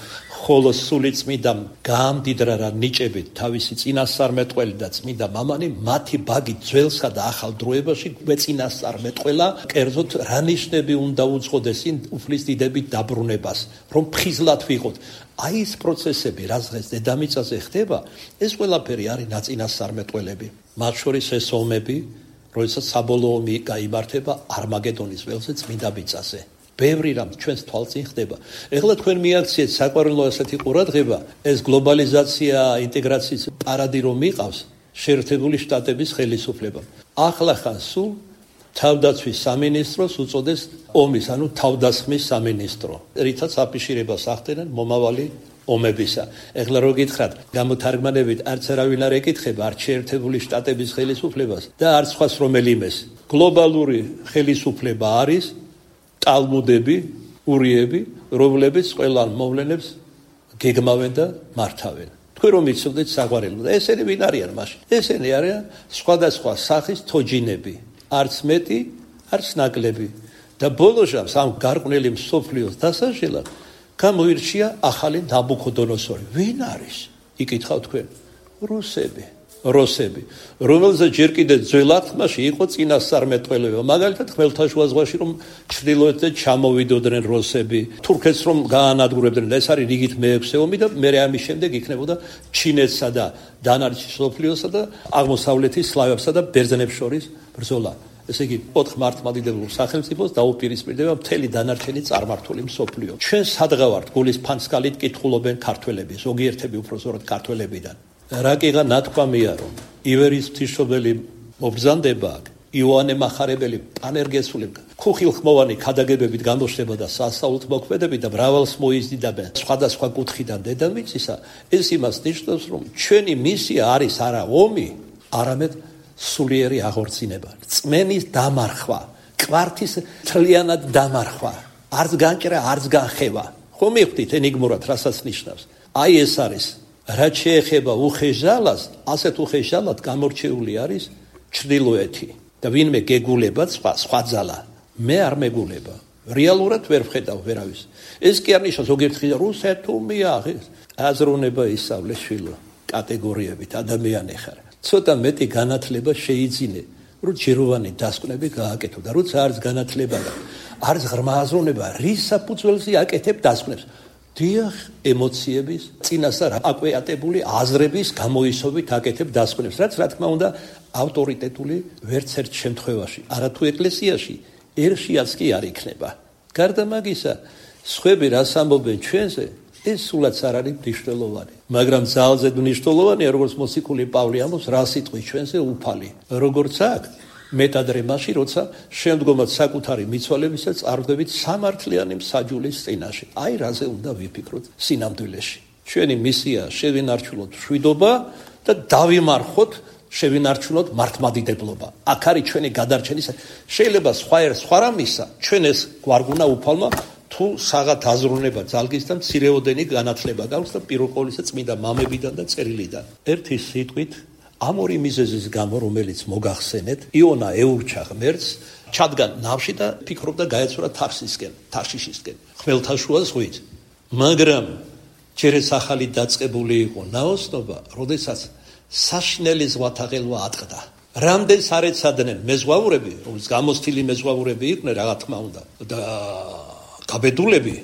[SPEAKER 1] ხოლო სული წმინდა გაამდიდრა რა ნიჭებით თავისი წინასწარმეტყველი და წმინდა მამანი მათი ბაგი ძველსა და ახალ დროებაში გვეწინასწარმეტყველა, კერძოდ რა ნიშნები უნდა უძღოდეს იმ უფლის დიდებით დაბრუნებას, რომ ფხიზლად ვიყოთ. აი ეს პროცესები, რაც დღეს დედამიწაზე ხდება, ეს ყველაფერი არის ნაწინასწარმეტყველები. მათ შორის ეს ომები როდესაც საბოლოო ომი გაიმართება არმაგედონის ველზე წმინდა მიწაზე. ბევრი რამ ჩვენს თვალწინ ხდება. ეხლა თქვენ მიაქციეთ საყვარელო ასეთი ყურადღება, ეს გლობალიზაცია, ინტეგრაციის პარადი რომ მიყავს შეერთებული შტატების ხელისუფლებამ. ახლა ხან სულ თავდაცვის სამინისტროს უწოდეს ომის, ანუ თავდასხმის სამინისტრო. რითაც აფიშირებას ახდენენ მომავალი ომებისა. ეხლა რო გითხრათ, გამოთარგმანებით არც არავინ არ ეკითხება არც შეერთებული შტატების ხელისუფლებას და არც სხვას რომელიმეს. გლობალური ხელისუფლება არის ტალმუდები, ურიები, რომლებიც ყველა მოვლენებს გეგმავენ და მართავენ. თქვენ რომ იცოდეთ საყვარელო და ესენი ვინ არიან მაშინ? ესენი არიან სხვადასხვა სახის თოჯინები, არც მეტი, არც ნაკლები. და ბოლოშავს ამ გარყვნილი მსოფლიოს დასაშლელად გამოირჩია ახალი ნაბუქოდონოსორი. ვინ არის? იკითხავთ თქვენ. რუსები, რომელზეც ჯერ კიდევ ძველ აღთქმაში იყო წინასწარმეტყველება. მაგალითად ხმელთაშუა ზღვაში რომ ჩრდილოეთიდან ჩამოვიდოდნენ რუსები, თურქეთს რომ გაანადგურებდნენ, ეს არის რიგით მეექვსე ომი და მერე ამის შემდეგ იქნებოდა ჩინეთსა და დანარჩენ მსოფლიოსა და აღმოსავლეთის სლავებსა და ბერძნებს შორის ბრძოლა. ესე იგი, 4 მართლმადიდებელ სახელმწიფოს დაუპირისპირდება მთელი დანარჩენი წარმართული მსოფლიო. ჩვენ სადღავართ გულის ფანსკალით კითხულობენ ქართველები, ზოგიერთები უფრო ზორად ქართველებიდან. რაკიღა ნათქვამია, რომ ივერის ღვთისმშობელი მობრძანდება აქ, იოანე მახარებელი პანერგესული ხუხილხმოვანი ქადაგებებით გამოჩნდება და სასწაულთ მოქმედებით და მრავალს მოიზიდაბენ სხვადასხვა კუთხიდან დედამიწისა, ეს იმას ნიშნავს, რომ ჩვენი მისია არის არა ომი, არამედ სულიერი აღორძინება, წმენის დამარხვა, კვართის თლიანად დამარხვა, არც განჭრა, არც განხევა. ხო მივხვდით ენიგმურად, რასაც ნიშნავს. აი ეს არის, რაც შეეხება უხეშალას, ასეთ უხეშალად გამორჩეული არის ჩრდილოეთი და ვინმე გეგულება სხვა ძალა, მე არ მეგულება. რეალურად ვერ ვხედავ ვერავის. ეს კი არ ნიშნავს ზოგიერთ ხილ რუსეთუმია, აზროვნება ისავლე შვილო, კატეგორიებით ადამიანი ხარ. ცოტა მეტი განათლება შეიძინე, რომ ჯეროვანი დასკვნები გააკეთო და როცა არც განათლება და არც ღრმა აზროვნება, რის საფუძველზე აკეთებ დასკვნებს? დიახ, ემოციების, წინასწარ აკვეატებული აზრების გამოისობით აკეთებ დასკვნებს, რაც რა თქმა უნდა ავტორიტეტული ვერც ერთ შემთხვევაში, არათუ ეკლესიაში, ერშიაც კი არ იქნება. გარდა მაგისა, სხვები რას ამბობენ ჩვენზე, ეს სულაც არ არის მნიშვნელოვანი. მაგრამ ძალზედ მნიშვნელოვანია, როგორც მოციქული პავლე ამბობს, რა სიტყვით ჩვენზე უფალი. როგორც აქ, მეტადრე მაშინ, როცა შემდგომად საკუთარი მიცვალებისა წარვდებით სამართლიანი მსაჯულის წინაშე. აი რაზე უნდა ვიფიქროთ სინამდვილეში. ჩვენი მისია შევინარჩუნოთ მშვიდობა და დავიმარხოთ შევინარჩუნოთ მართლმადიდებლობა. აქ არის ჩვენი გადარჩენის. შეიძლება სხვა რამისა ჩვენ ეს გვარგუნა უფალმა თუ საღათ აზროვნება ძალგის და მცირეოდენი განათლება გაქვს და პირველ ყოვლისა წმინდა მამებიდან და წერილიდან. ერთი სიტყვით ამ ორი მიზეზის გამო, რომელიც მოგახსენეთ, იონა ეურჩა ღმერთს, ჩადგა ნავში და ფიქრობდა გაეცურა თარშიშისკენ, ხმელთაშუა ზღვით. მაგრამ ჯერეს ახალი დაწყებული იყო ნაოსნობა, როდესაც საშინელი ზღვათა ღელვა ატყდა. რამდენს არ ეცადნენ მეზღვაურები, რომელიც გამოსთილი მეზღვაურები იყვნენ, რა თქმა უნდა, და გაბედულები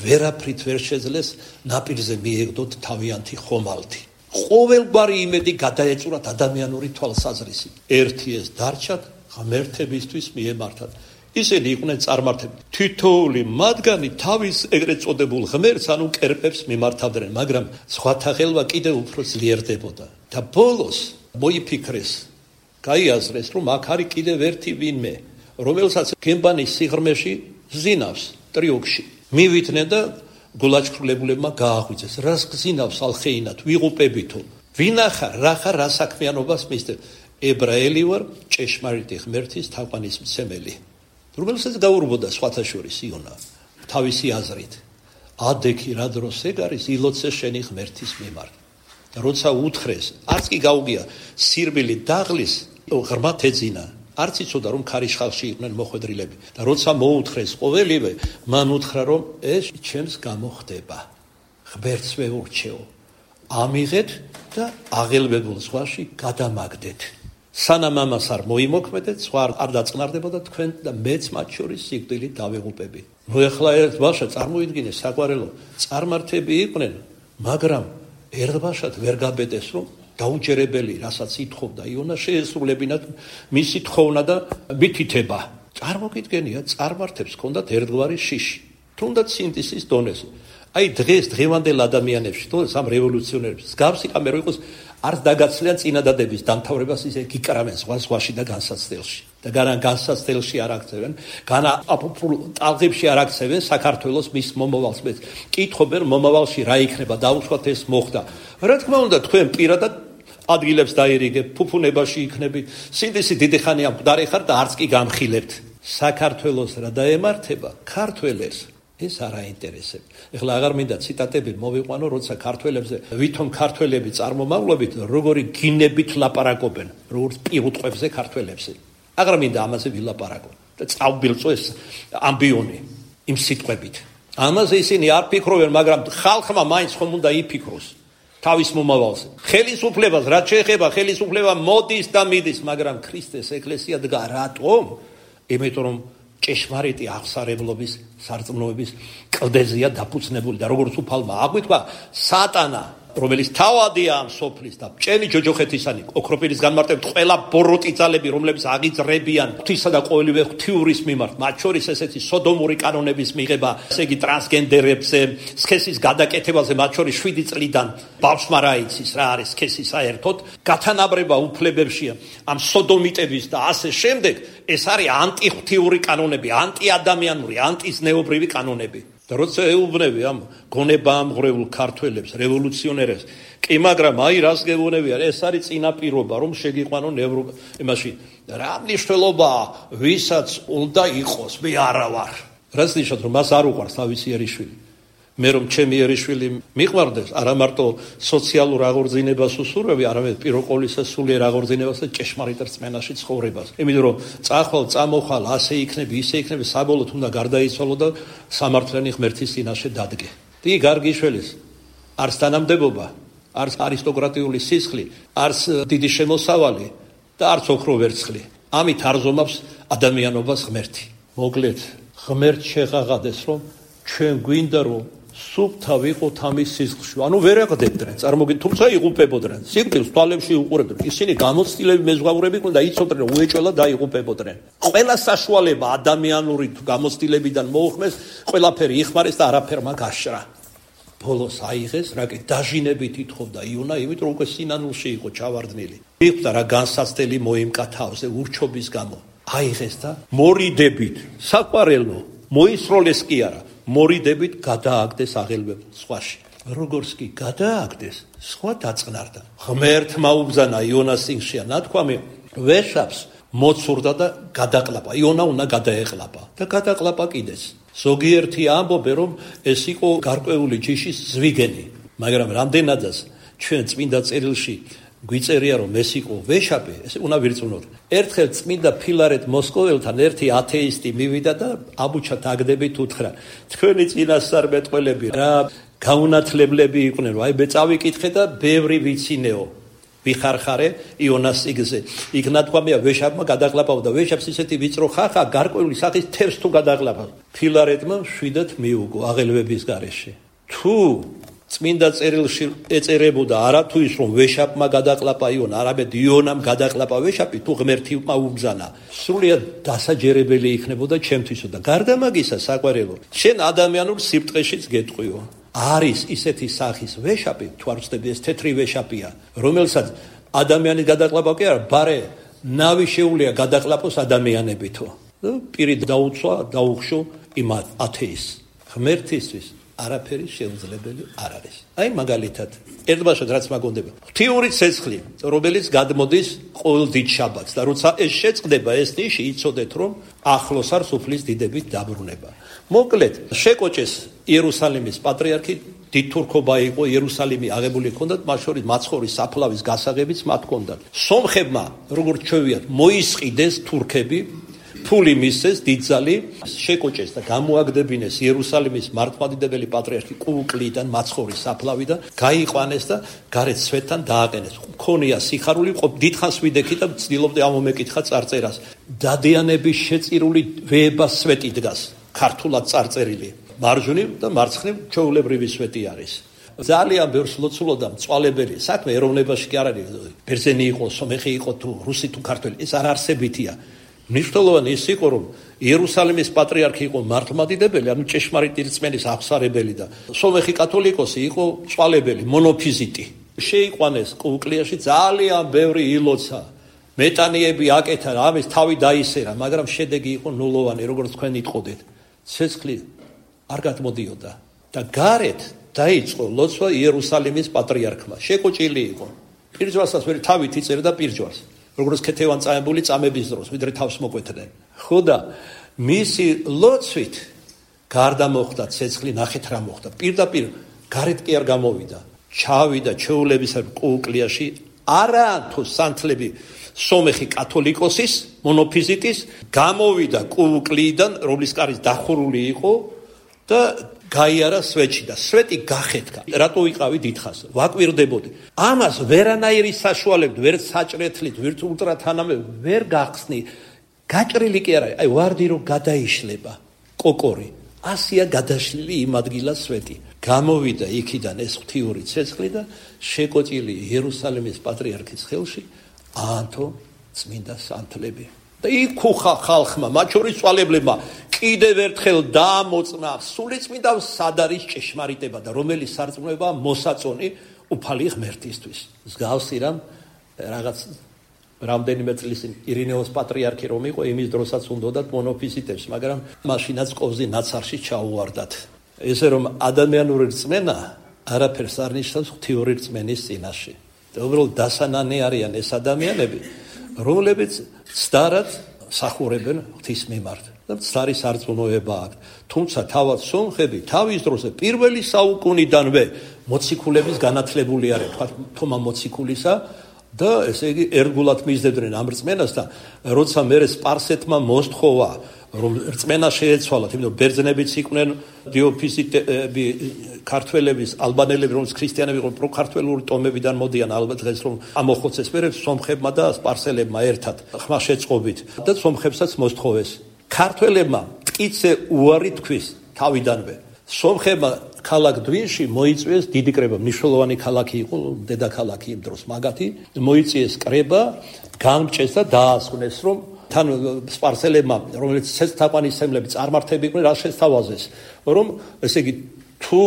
[SPEAKER 1] ვერაფრით ვერ შეძლეს ნაპირზე მიეგდოთ თავიანთი ხომალდი. ყოველგვარი იმედი გადაეწურათ ადამიანური თვალსაზრისით. ერთი ეს დარჩათ ღმერთებისთვის მიემართათ. ისინი იყვნენ წარმართები. თითოეული მათგანი თავის ეგრეთ წოდებულ ღმერთს, ანუ კერპებს მიმართავდნენ, მაგრამ ზღვათა ღელვა კიდევ უფრო ძლიერდებოდა. და ბოლოს მოიფიქრეს, გაიაზრეს, რომ აქ არის კიდევ ერთი ვინმე, რომელსაც გემბანის სიღრმეში ზინავს ტრიოკში. მივიდნენ და გულაჩქრულებულებმა გააღვიძეს. რას გზინავს ალხეინად, ვიღუპებითო. ვინახარ, რა ხარ, რა საქმიანობას მისდევ. ებრაელი ვარ, ჭეშმარიტი ღმერთის თაყვანისმცემელი. რომელსაც გაურბოდა სხვათა შორის იონა თავისი აზრით. ადექი რა დროს ეგ არის ილოცე შენი ღმერთის მიმართ. და როცა უთხრეს, არც კი გაუგია სირბილი დაღლის, ღრმად ეძინა. არც იცოდა რომ ქარიშხალში იყვნენ მოხვედრილები. და როცა მოუთხრეს ყოველივე, მან უთხრა რომ ეს ჩემს გამოხდება. ღმერთს ვეურჩეო. ამიღეთ და აღელვებულ ზღვაში გადამაგდეთ. სანამ ამას არ მოიმოქმედეთ, სხვა არ დაწყნარდებოდა თქვენ და მეც მათ შორის სიკვდილით დავიღუპები. მოეხლა ერთ ბავშვს წარმოიდგინე საყვარელო, წარმართები იყვნენ, მაგრამ ერთ ბავშვად ვერ გაბედეს რომ დაუჯერებელი, რასაც ითხოვდა იონა, შეესრულებინათ მისი თხოვნა და მითითება. წარმოგიდგენია, წარმართებს ჰქონდათ ერთგვარი შიში, თუნდაც სინთეზის დონეზე. აი დღეს დღევანდელ ადამიანებში, თუნდაც ამ რევოლუციონერებს, მსგავსი კამერო იყოს, არც დაგაცლიან წინადადების დამთავრებას ისე გიკრავენ ზღვაში და განსაცდელში. და განსაცდელში არ აქცევენ, ტალღებში არ აქცევენ საქართველოს მის მომავალს. კითხობენ მომავალში რა იქნება, დაუშვათ ეს მოხდა. რა თქმა უნდა, თქვენ პირადად ადგილებს დაირიგებ, ფუფუნებაში იქნებით, სინდისი დიდი ხანი ამ მკვდარი ხარ და არც კი გამხილებთ. საქართველოს რა დაემართება, ქართველებს ეს არ აინტერესებს. ეხლა აღარ მინდა ციტატები მოვიყვანო, როცა ქართველებზე, ვითომ ქართველები წარმომავლობით, როგორი გინებით ლაპარაკობენ, როგორც პირუტყვებზე ქართველებზე. აღარ მინდა ამაზე ვილაპარაკო და წავბილწო ეს ამბიონი იმ სიტყვებით. ამაზე ისინი არ ფიქრობენ, მაგრამ ხალხმა მაინც ხომ უნდა იფიქროს თავის მომავალზე. ხელისუფლებას რაც შეეხება, ხელისუფლება მოდის და მიდის, მაგრამ ქრისტეს ეკლესია დგა რატომ? იმიტომ რომ ჭეშმარიტი აღსარებლობის სარწმუნოების კლდეზეა დაფუძნებული და როგორც უფალმა აღვიქვა, სატანა, რომელიც თავადია ამ სოფლის და ჭენი ჯოჯოხეთისანი ოქროპირის განმარტებით ყველა ბოროტი ძალები, რომლებიც აღიძრებიან ღვთისა და ყოველივე ღვთიურის მიმართ, მათ შორის ესეთი სოდომური კანონების მიღება, ესე იგი ტრანსგენდერებზე, სქესის გადაკეთებაზე, მათ შორის 7 წლიდან ბავშვმა რა იცის, რა არის სქესი საერთოდ, გათანაბრება უფლებებშია ამ სოდომიტების და ასე შემდეგ, ეს არის ანტიღვთიური კანონები, ანტიადამიანური, ანტიზნეობრივი კანონები. და როცა ეუბნები ამ გონებაამღვრეულ ქართველებს, რევოლუციონერებს, კი მაგრამ აი რას გეუბნებიან, ეს არის წინაპირობა, რომ შეგიყვანონ იმაში. რა მნიშვნელობა, ვისაც უნდა იყოს, მე არა ვარ. რას ნიშნავს, რომ მას არ უყვარს თავისიერიშვილი. მე რომ ჩემიერიშვილი მიყვარდეს, არა მარტო სოციალურ აღორძინებას უსურვები, არამედ პირველ ყოვლისა სულიერ აღორძინებას და ჭეშმარიტ რწმენაში ცხოვრებას. იმიტომ რომ წახვალ, წამოხვალ, ასე იქნები, ისე იქნები, საბოლოოდ უნდა გარდაიცვალო და სამართლიანი ღმერთის წინაშე დადგე. დი გარგიშველის არც თანამდებობა, არც არისტოკრატიული სისხლი, არც დიდი შემოსავალი და არც ოქრო ვერცხლი. ამით არზომავს ადამიანობას ღმერთი. მოკლედ, ღმერთ შეღაღადეს, რომ ჩვენ გვინდა რომ სუფთა ვიყოთ ამის სისხლში. ანუ ვერ აყდებდნენ, წარმოგიდგენთ, თუმცა იღუპებოდნენ. სიკვდილს თვალებში უყურებდნენ. ისინი გამოცდილები მეზღვაურები იყვნენ და იცოდნენ, უეჭველად დაიღუპებოდნენ. ყველა საშუალება ადამიანური გამოცდილებიდან მოუხმეს, ყველაფერი იხმარეს და არაფერმა გაშრა. ბოლოს აიღეს, რაკი დაჟინებით ითხოვდა იონა, იმიტომ რომ უკვე სინანულში იყო ჩავარდნილი. მიხვდა რა განსაცდელი მოიმკა თავზე ურჩობის გამო. აიღეს და მორიდებით, საყვარელო, მოისროლეს კი არა, მორიდებით გადააგდეს აღელვებულ სხვაში. როგორც კი გადააგდეს, სხვა დაწყნარდა. ღმერთმა უბრძანა იონას სინგშია ნათქვამი, ვეშაპს მოცურდა და გადაყლაპა. იონა უნდა გადაეყლაპა და გადაყლაპა კიდეც. ზოგიერთი ამბობენ, რომ ეს იყო გარკვეული ჯიშის ზვიგენი, მაგრამ რამდენადაც ჩვენ წმინდა წერილში გვიწერია, რომ ეს იყო ვეშაპი, ეს უნდა ვირწმუნოთ. ერთხელ წმინდა ფილარეთ მოსკოველთან ერთი ათეისტი მივიდა და აბუჩად აგდებით უთხრა, თქვენი წინასწარმეტყველები რა გაუნათლებლები იყვნენ, აი მე წავიკითხე და ბევრი ვიცინეო. ვიხარხარე იონას სიგზე. იქ ნათქვამია ვეშაპმა გადაყლაპავდა. ვეშაპს ისეთი ვიწრო ხახა გარკვეული სახის თევზს თუ გადაყლაპა. ფილარეთმა შვიდად მიუგო აღელვების გარეშე. თუ წმინდა წერილში ეწერებოდა არა თუ ის რომ ვეშაპმა გადაყლაპა იონა, არამედ იონამ გადაყლაპა ვეშაპი, თუ ღმერთმა უბრძანა, სრულიად დასაჯერებელი იქნებოდა ჩემთვისო და გარდა მაგისა საყვარელო, შენ ადამიანურ სიბრტყეშიც გეტყვიო. არის ისეთი სახის ვეშაპი, თუ არ ვცდები ეს თეთრი ვეშაპია, რომელსაც ადამიანის გადაყლაპა კი არა, ბარე ნავი შეუძლია გადაყლაპოს ადამიანებითო. პირი დაუცვა, დაუხშო იმ ათეისტს. ღმერთისთვის არაფერი შეუძლებელი არ არის. აი მაგალითად, ერთბაშად რაც მაგონდება. ღვთიური ცეცხლი, რომელიც გადმოდის ყოველ დიდ შაბათს და როცა ეს შეწყდება ეს ნიში, იცოდეთ რომ ახლოს არ სუფლის დიდებით დაბრუნება. მოკლედ, შეკოჭეს იერუსალიმის პატრიარქი, დიდ თურქობა იყო, იერუსალიმი აღებული ჰქონდათ, მათ შორის მაცხოვრის საფლავის გასაღებიც მათ ჰქონდათ. სომხებმა, როგორც ჩვევიათ, მოისყიდეს თურქები, ფული მისცეს დიდძალი, შეკოჭეს და გამოაგდებინეს იერუსალიმის მართლმადიდებელი პატრიარქი კუკლიდან მაცხოვრის საფლავიდან, გაიყვანეს და გარეთ სვეტთან დააყენეს. მქონია სიხარული, დიდხანს ვიდექი და ცდილობდი ამომეკითხა წარწერას. დადიანების შეწირული ვეება სვეტი დგას, ქართულად წარწერილი. მარჯვნივ და მარცხნივ ჩვეულებრივი სვეტი არის. ძალიან ბევრს ლოცულობდა მწვალებელი საქმე ეროვნებაში კი არ არის, ბერძენი იყო, სომეხი იყო თუ რუსი თუ ქართველი, ეს არ არსებითია. მნიშვნელოვანი ის იყო, რომ იერუსალიმის პატრიარქი იყო მართლმადიდებელი, ანუ ჭეშმარიტი რწმენის აღსარებელი და სომეხი კათოლიკოსი იყო მწვალებელი, მონოფიზიტი. შეიყვანეს კუკლიაში ძალიან ბევრი ილოცა. მეტანიები აკეთა, ამის თავი დაისერა, მაგრამ შედეგი იყო ნულოვანი, როგორც თქვენ იტყოდეთ. ცეცხლი არ გადმოდიოდა და გარეთ დაიწყო ლოცვა იერუსალიმის პატრიარქმა. შეკოჭილი იყო. პირჯვალსაც ვერ თავით იწერდა პირჯვალს. როგორც ქეთევან წამებული წამების დროს, ვიდრე თავს მოკვეთდნენ. ხო და მისი ლოცვით გარდა მოხდა ცეცხლი, ნახეთ რა მოხდა. პირდაპირ გარეთ კი არ გამოვიდა. ჩავიდა ჩვეულების კუკლიაში, არა თუ სანთლები სომეხი კათოლიკოსის, მონოფიზიტის, გამოვიდა კუკლიდან, რომლის კარის დახურული იყო და გაიარა სვეტში და სვეტი გახეთქა. რატო ვიყავი დიდხანს? ვაკვირდებოდი. ამას ვერანაირი საშუალებით, ვერ საჭრეთლით, ვერ ულტრათანამებით ვერ გახსნი. გაჭრილი კი არა, აი ვარდი რომ გადაიშლება კოკორი. ასია გადაშლილი იმ ადგილას სვეტი. გამოვიდა იქიდან ეს ღვთიური ცეცხლი და შეკოჭილი იერუსალიმის პატრიარქის ხელში აანთო წმინდა სანთლები. და იქუხა ხალხმა, მათ შორის მწვალებლებმა, კიდევ ერთხელ დაამოწმა სულიწმიდა სად არის ჭეშმარიტება და რომელი სარწმუნოება მოსაწონი უფალი ღმერთისთვის. მსგავსი რამ რაღაც რამდენიმე წლის ირინეოს პატრიარქი რომ იყო, იმის დროსაც უნდათ მონოფიზიტებს, მაგრამ მაშინაც ყოვზი ნაცარში ჩაუვარდათ. ესე რომ ადამიანური რწმენა არაფერს არ ნიშნავს ღვთიური რწმენის წინაშე. და უბრალოდ დასანანი არიან ეს ადამიანები, რომლებიც ცდარად სახურებენ ღვთის მიმართ და ცდარი სარწმუნოება აქვს. თუმცა თავად სომხები თავის დროზე პირველი საუკუნიდანვე მოციქულების განათლებული არიან, თქვა თომა მოციქულისა და ესე იგი ერგულად მისდევდნენ ამ რწმენას და როცა მერე სპარსეთმა მოსთხოვა რომ რწმენა შეეცვალათ, იმიტომ ბერძნებიც იყვნენ დიოფიზიტები, ქართველების, ალბანელები, რომელიც ქრისტიანები იყვნენ, პროქართველური ტომებიდან მოდიან ალბათ დღეს რომ ამოხოცეს მერე სომხებმა და სპარსელებმა ერთად ხმა შეწყობით და სომხებსაც მოსთხოვეს. ქართველებმა მტკიცე უარი თქვის თავიდანვე. სომხებმა ქალაქ დვინში მოიწვიეს დიდი კრება, მნიშვნელოვანი ქალაქი იყო, დედაქალაქი იმ დროს მაგათი, მოიწვიეს კრება, გამჭეს და დაასვენეს რომ თან სპარსელებმა, რომელიც ცეცხლთაყვანისმცემლები წარმართები იყვნენ, რა შესთავაზეს, რომ ესე იგი თუ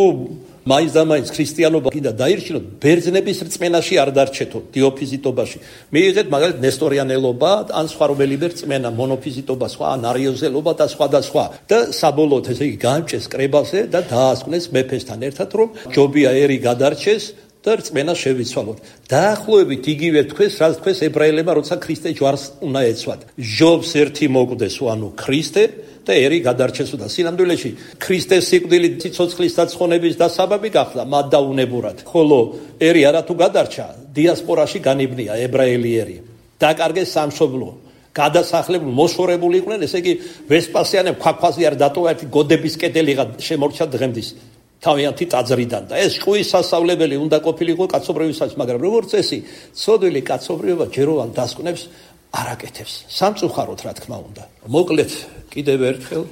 [SPEAKER 1] მაინც და მაინც ქრისტიანობა კიდე დაირჩინოთ, ბერძნების რწმენაში არ დარჩეთო, დიოფიზიტობაში. მიიღეთ მაგალითად ნესტორიანელობა, ან სხვა რომელიმე რწმენა, მონოფიზიტობა, სხვა ან არიოზელობა და სხვა და სხვა. და საბოლოოდ ესე იგი გაამჭეს კრებაზე და დაასკვნეს მეფესთან ერთად, რომ ჯობია ერი გადარჩეს და რწმენა შევიცვალოთ. დაახლოებით იგივე თქვეს, რაც თქვეს ებრაელებმა, როცა ქრისტე ჯვარს უნდა ეცვათ. ჯობს ერთი მოკვდეს, ანუ ქრისტე და ერი გადარჩესო და სინამდვილეში ქრისტეს სიკვდილით სიცოცხლის დაცხონების დასაბამი გახდა მათ დაუნებურად. ხოლო ერი არათუ გადარჩა, დიასპორაში განიბნია ებრაელი ერი. დაკარგეს სამშობლო. გადასახლებული მოშორებული იყვნენ, ესე იგი ვესპასიანემ ქვაქვაზე არ დატოვა ერთი გოდების კედელი შემორჩა დღემდის. თავიანთი ტაძრიდან და ეს ჭკუის სასწავლებელი უნდა ყოფილიყო კაცობრიობისას, მაგრამ როგორც წესი, ცოდვილი კაცობრიობა ჯეროვან დასკვნებს არ აკეთებს. სამწუხაროდ, რა თქმა უნდა. მოკლედ, კიდევ ერთხელ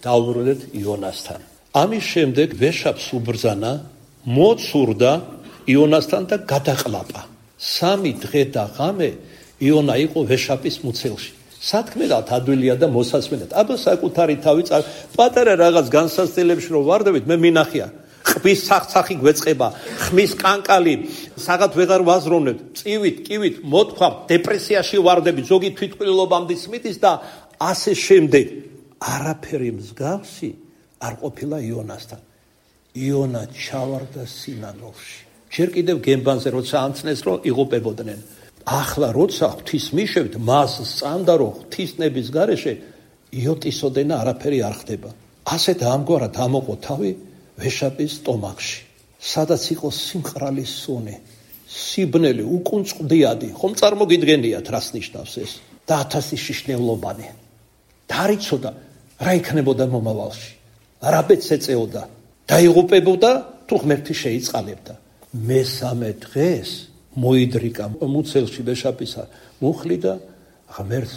[SPEAKER 1] დავუბრუნდეთ იონასთან. ამის შემდეგ ვეშაპს უბრძანა, მოცურდა იონასთან და გადაყლაპა. 3 დღე და ღამე იონა იყო ვეშაპის მუცელში. სათქმელად ადვილია და მოსასმენად. აბა საკუთარი თავი პატარა რაღაც განსაცდელებში რომ ვარდებით, მე მინახია. ხმის სახსახი გვეწყება, ხმის კანკალი, საღად ვეღარ ვაზროვნებთ, წივით, კივით, მოთქვა, დეპრესიაში ვარდები, ზოგი თვითმკვლელობამდე სმიდის და ასე შემდეგ. არაფერი მსგავსი არ ყოფილა იონასთან. იონა ჩავარდა სინანულში. ჯერ კიდევ გემბანზე როცა ამცნეს, რომ იღუპებოდნენ. ახლა როცა ღვთისმიშევთ, მას სწამდა, რომ ღვთისნების გარეშე იოტისოდენა არაფერი არ ხდება. ასეთ ამგვარად ამოყო თავი ვეშაპის სტომახში, სადაც იყო სიმყრალის სუნი, სიბნელი, უკუნწყდიადი, ხომ წარმოგიდგენიათ, რას ნიშნავს ეს? და 1000 შიშნევლობანი. დაარიცოდა, რა იქნებოდა მომავალში. რა ბედს ეწეოდა, დაიღუპებოდა, თუ ღმერთი შეიწყალებდა. მესამე დღეს მოიდრიკა მუცელში ვეშაპისა მუხლი და ღმერთს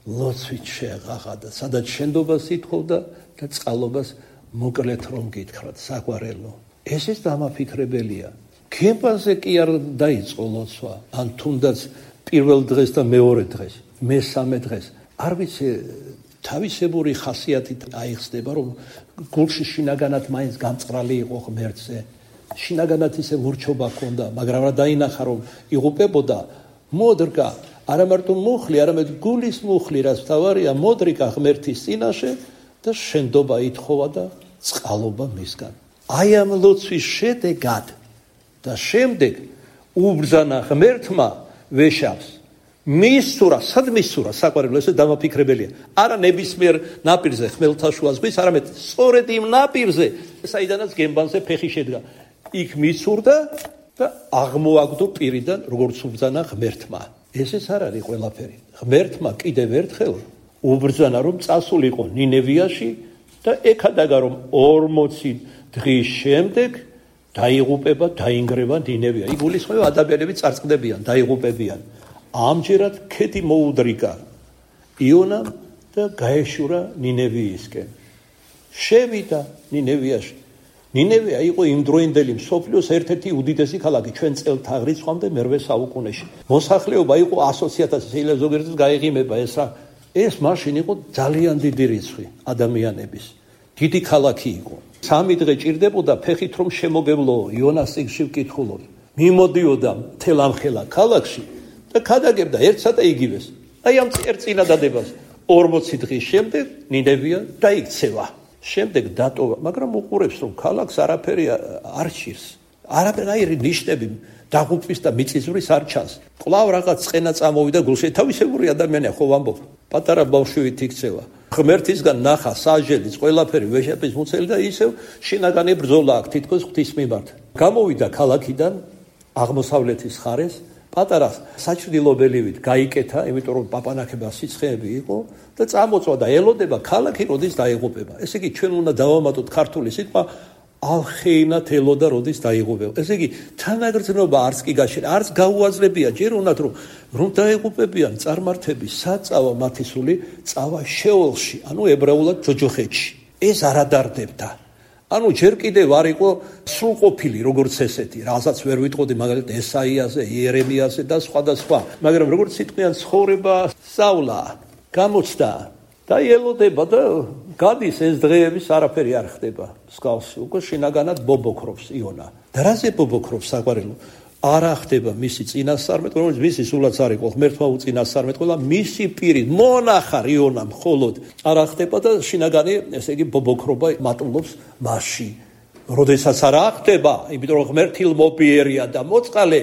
[SPEAKER 1] ლოცვით შეეღაღადა, სადაც შენდობას ითხოვდა და წყალობას მოკლედ რომ გითხრათ საგვარელო. ეს ის დამაფიქრებელია. გემბანზე კი არ დაიწყო ლოცვა, ან თუნდაც პირველ დღეს და მეორე დღეს, მესამე დღეს. არ ვიცი, თავისებური ხასიათით აიხსნება, რომ გულში შინაგანად მაინც გამწყრალი იყო ღმერთზე. შინაგანად ისე ურჩობა ჰქონდა, მაგრამ რა დაინახა, რომ იღუპებოდა, მოდრკა, არა მარტო მუხლი, არამედ გულის მუხლი, რაც თავარია, მოდრიკა ღმერთის წინაშე და შენდობა ითხოვა და წყალობა მისგან. აი ამ ლოცვის შედეგად და შემდეგ უბრძანა ღმერთმა ვეშაპს. მისურა, სად მისურა, საყვარელო, ესე დამაფიქრებელია. არა ნებისმიერ ნაპირზე ხმელთაშუა ზღვის, არამედ სწორედ იმ ნაპირზე, საიდანაც გემბანზე ფეხი შედგა. იქ მისურდა და აღმოაგდო პირიდან, როგორც უბრძანა ღმერთმა. ესეც არ არის ყველაფერი. ღმერთმა კიდევ ერთხელ უბრძანა, რომ წასულიყო ნინევიაში და ეკადაგა, რომ 40 დღის შემდეგ დაიღუპება, დაინგრევა ნინევია. იგულისხმება ადამიანები წარწყდებიან, დაიღუპებიან. ამჯერად ქედი მოუდრიკა იონამ და გაეშურა ნინევიისკენ. შევიდა ნინევიაში. ნინევია იყო იმდროინდელი მსოფლიოს ერთ-ერთი უდიდესი ქალაქი ჩვენ წელთაღრიცხვამდე მერვე საუკუნეში. მოსახლეობა იყო 100,000, შეიძლება ზოგიერთი გაიღიმება ეს რა. ეს მაშინ იყო ძალიან დიდი რიცხვი ადამიანების. დიდი ქალაქი იყო. 3 დღე ჭირდებოდა ფეხით რომ შემოგევლო იონას წიგნში ვკითხულობ. მიმოდიოდა მთელ ამ ხელა ქალაქში და ქადაგებდა ერთსა და იგივეს. აი ამ წინადადებას 40 დღის შემდეგ ნინევია დაიქცევა. შემდეგ დატოვა, მაგრამ უყურებს, რომ ქალაქს არაფერი არ ჭირს. არაფერი ნიშნები დაღუპვის და მიწისძვრის არ ჩანს. კვლავ რაღაც წყენა წამოვიდა გულში. თავისებური ადამიანია, ხო ვამბობ. პატარა ბავშვით იქცევა. ღმერთისგან ნახა საჟელიც, ყველაფერი ვეშაპის მუცელი და ისევ შინაგანი ბრძოლა აქვს თითქოს ღვთის მიმართ. გამოვიდა ქალაქიდან აღმოსავლეთის ხარეს, პატარა საჭრილობელივით გაიკეთა, იმიტომ რომ პაპანაკება სიცხეები იყო და წამოწვა და ელოდება ქალაქი როდის დაიღუპება. ესე იგი ჩვენ უნდა დავამატოთ ქართული სიტყვა ალხეინათ ელოდა როდის დაიღუპება. ესე იგი თანაგრძნობა არც კი გაშენ, არც გაუაზრებია ჯერ უნდათ რომ დაიღუპებიან წარმართები, საწავა მათი სული წავა შეოლში, ანუ ებრაულად ჯოჯოხეთში. ეს არ ადარდებდა. ანუ ჯერ კიდევ არ იყო სრულყოფილი როგორც ესეთი, რასაც ვერ ვიტყოდი მაგალითად ესაიაზე, იერემიაზე და სხვა და სხვა. მაგრამ როგორც სიტყვიან ცხოვრება სწავლა, გამოცდა
[SPEAKER 2] და ელოდება და გადის ეს დღეების არაფერი არ ხდება მსგავსი უკვე შინაგანად ბობოქრობს იონა და რაზე ბობოქრობს საყვარელო არა ხდება მისი წინასწარმეტყველი რომელიც მისი სულაც არ იყო ღმერთმა უწინასწარმეტყველა მისი პირით მონახარ იონა მხოლოდ არა ხდება და შინაგანი ესე იგი ბობოქრობა მატულობს მასში როდესაც არა ხდება იმიტომ რომ ღმერთილმოპიერია და მოწყალე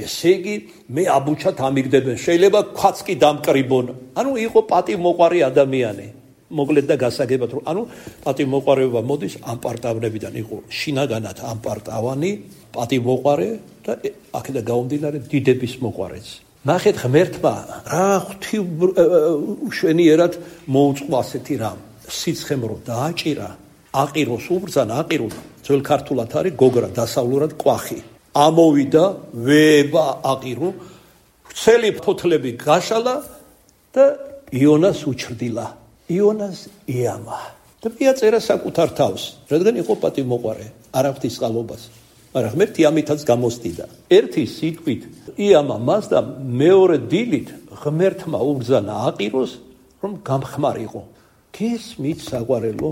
[SPEAKER 2] ესე იგი მე აბუჩად ამიგდებენ შეიძლება ქვაც კი დამკრიბონ ანუ იყო პატივმოყვარე ადამიანი მოკლედ და გასაგებად რომ ანუ პატივმოყვარეობა მოდის ამპარტავნებიდან იყო შინაგანად ამპარტავანი პატივმოყვარე და აქედან გამომდინარე დიდების მოყვარეც ნახეთ ღმერთმა რა ღვთივმშენიერად მოუწყო ასეთი რამ სიცხემრო დააჭირა აყიროს უბრძანა აყირო ძველ ქართულად არის გოგრა დასავლურად კვახი ამოვიდა ვება აყირო ვრცელი ფოთლები გაშალა და იონას უჩრდილა იონას იამა და მიაწერა საკუთარ თავს რადგან იყო პატივმოყვარე არა ღვთისყალობას მაგრამ ღმერთი ამითაც გამოსდიდა ერთი სიტყვით იამა მას და მეორე დილით ღმერთმა უბრძანა აყიროს რომ გამხმარიყო გესმით საყვარელო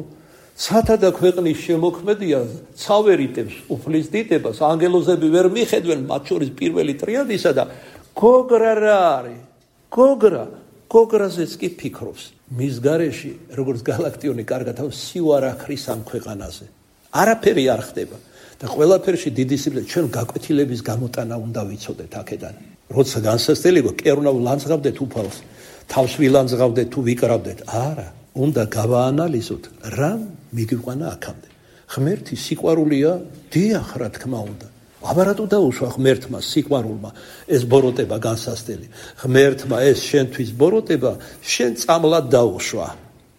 [SPEAKER 2] ცათა და ქვეყნის შემოქმედია ცავერიტებს უფლის დიდებას ანგელოზები ვერ მიხედვენ მათ შორის პირველი ტრიადისა და გოგრა რა არის გოგრაზეც კი ფიქრობს მის გარეში როგორც galaktioni კარგად აქვს სიوارახრის ამ ქვეყანაზე არაფერი არ ხდება და ყველაფერში დიდი სიბლე ჩვენ გაკვეთილების გამოტანა უნდა ვიცოდეთ აქედან როცა განსასწრელი კერუნავ ლანძღავდეთ უფალს თავს ვილანძღავდეთ თუ ვიკრავდეთ არა უნდა გავაანალიზოთ რა მიგვიყვანა აქამდე ღმერთი სიყვარულია დიახ რა თქმა უნდა აბარატო დაუშვა ღმერთმა სიყვარულმა ეს ბოროტება განსასწრელი ღმერთმა ეს შენთვის ბოროტება შენ წამლად დაუშვა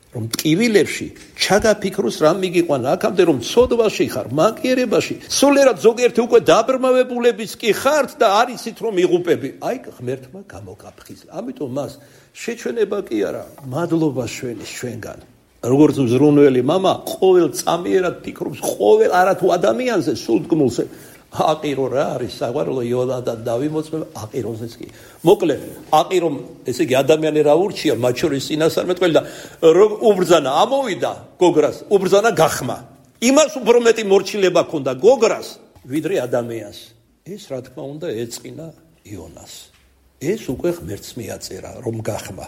[SPEAKER 2] რომ ტკივილებში ჩაგაფიქროს რა მიგიყვანა აქამდე რომ სოდვაში ხარ მანკიერებაში სულერად ზოგიერთი უკვე დაბრმავებულების კი ხართ და არიცით რომ იღუპები აი ღმერთმა გამოგაფხიზა ამიტომ მას შეჩვენება კი არა მადლობა შველის ჩვენგან როგორც მზრუნველი мама ყოველ წამიერად ფიქრობს ყოველ არათუ ადამიანზე სულთგმულზე აყირო რა არის საყვარელო იოლადად დავიმოწმებ აყიროზეც კი მოკლედ აყირომ ესე იგი ადამიანი რა ურჩია მათ შორის წინასწარმეტყველი და უბრძანა ამოვიდა გოგრას უბრძანა გახმა იმას უფრო მეტი მორჩილება ჰქონდა გოგრას ვიდრე ადამიანს ეს რა თქმა უნდა ეწყინა იონას ეს უკვე ღმერთს მიაწერა რომ გახმა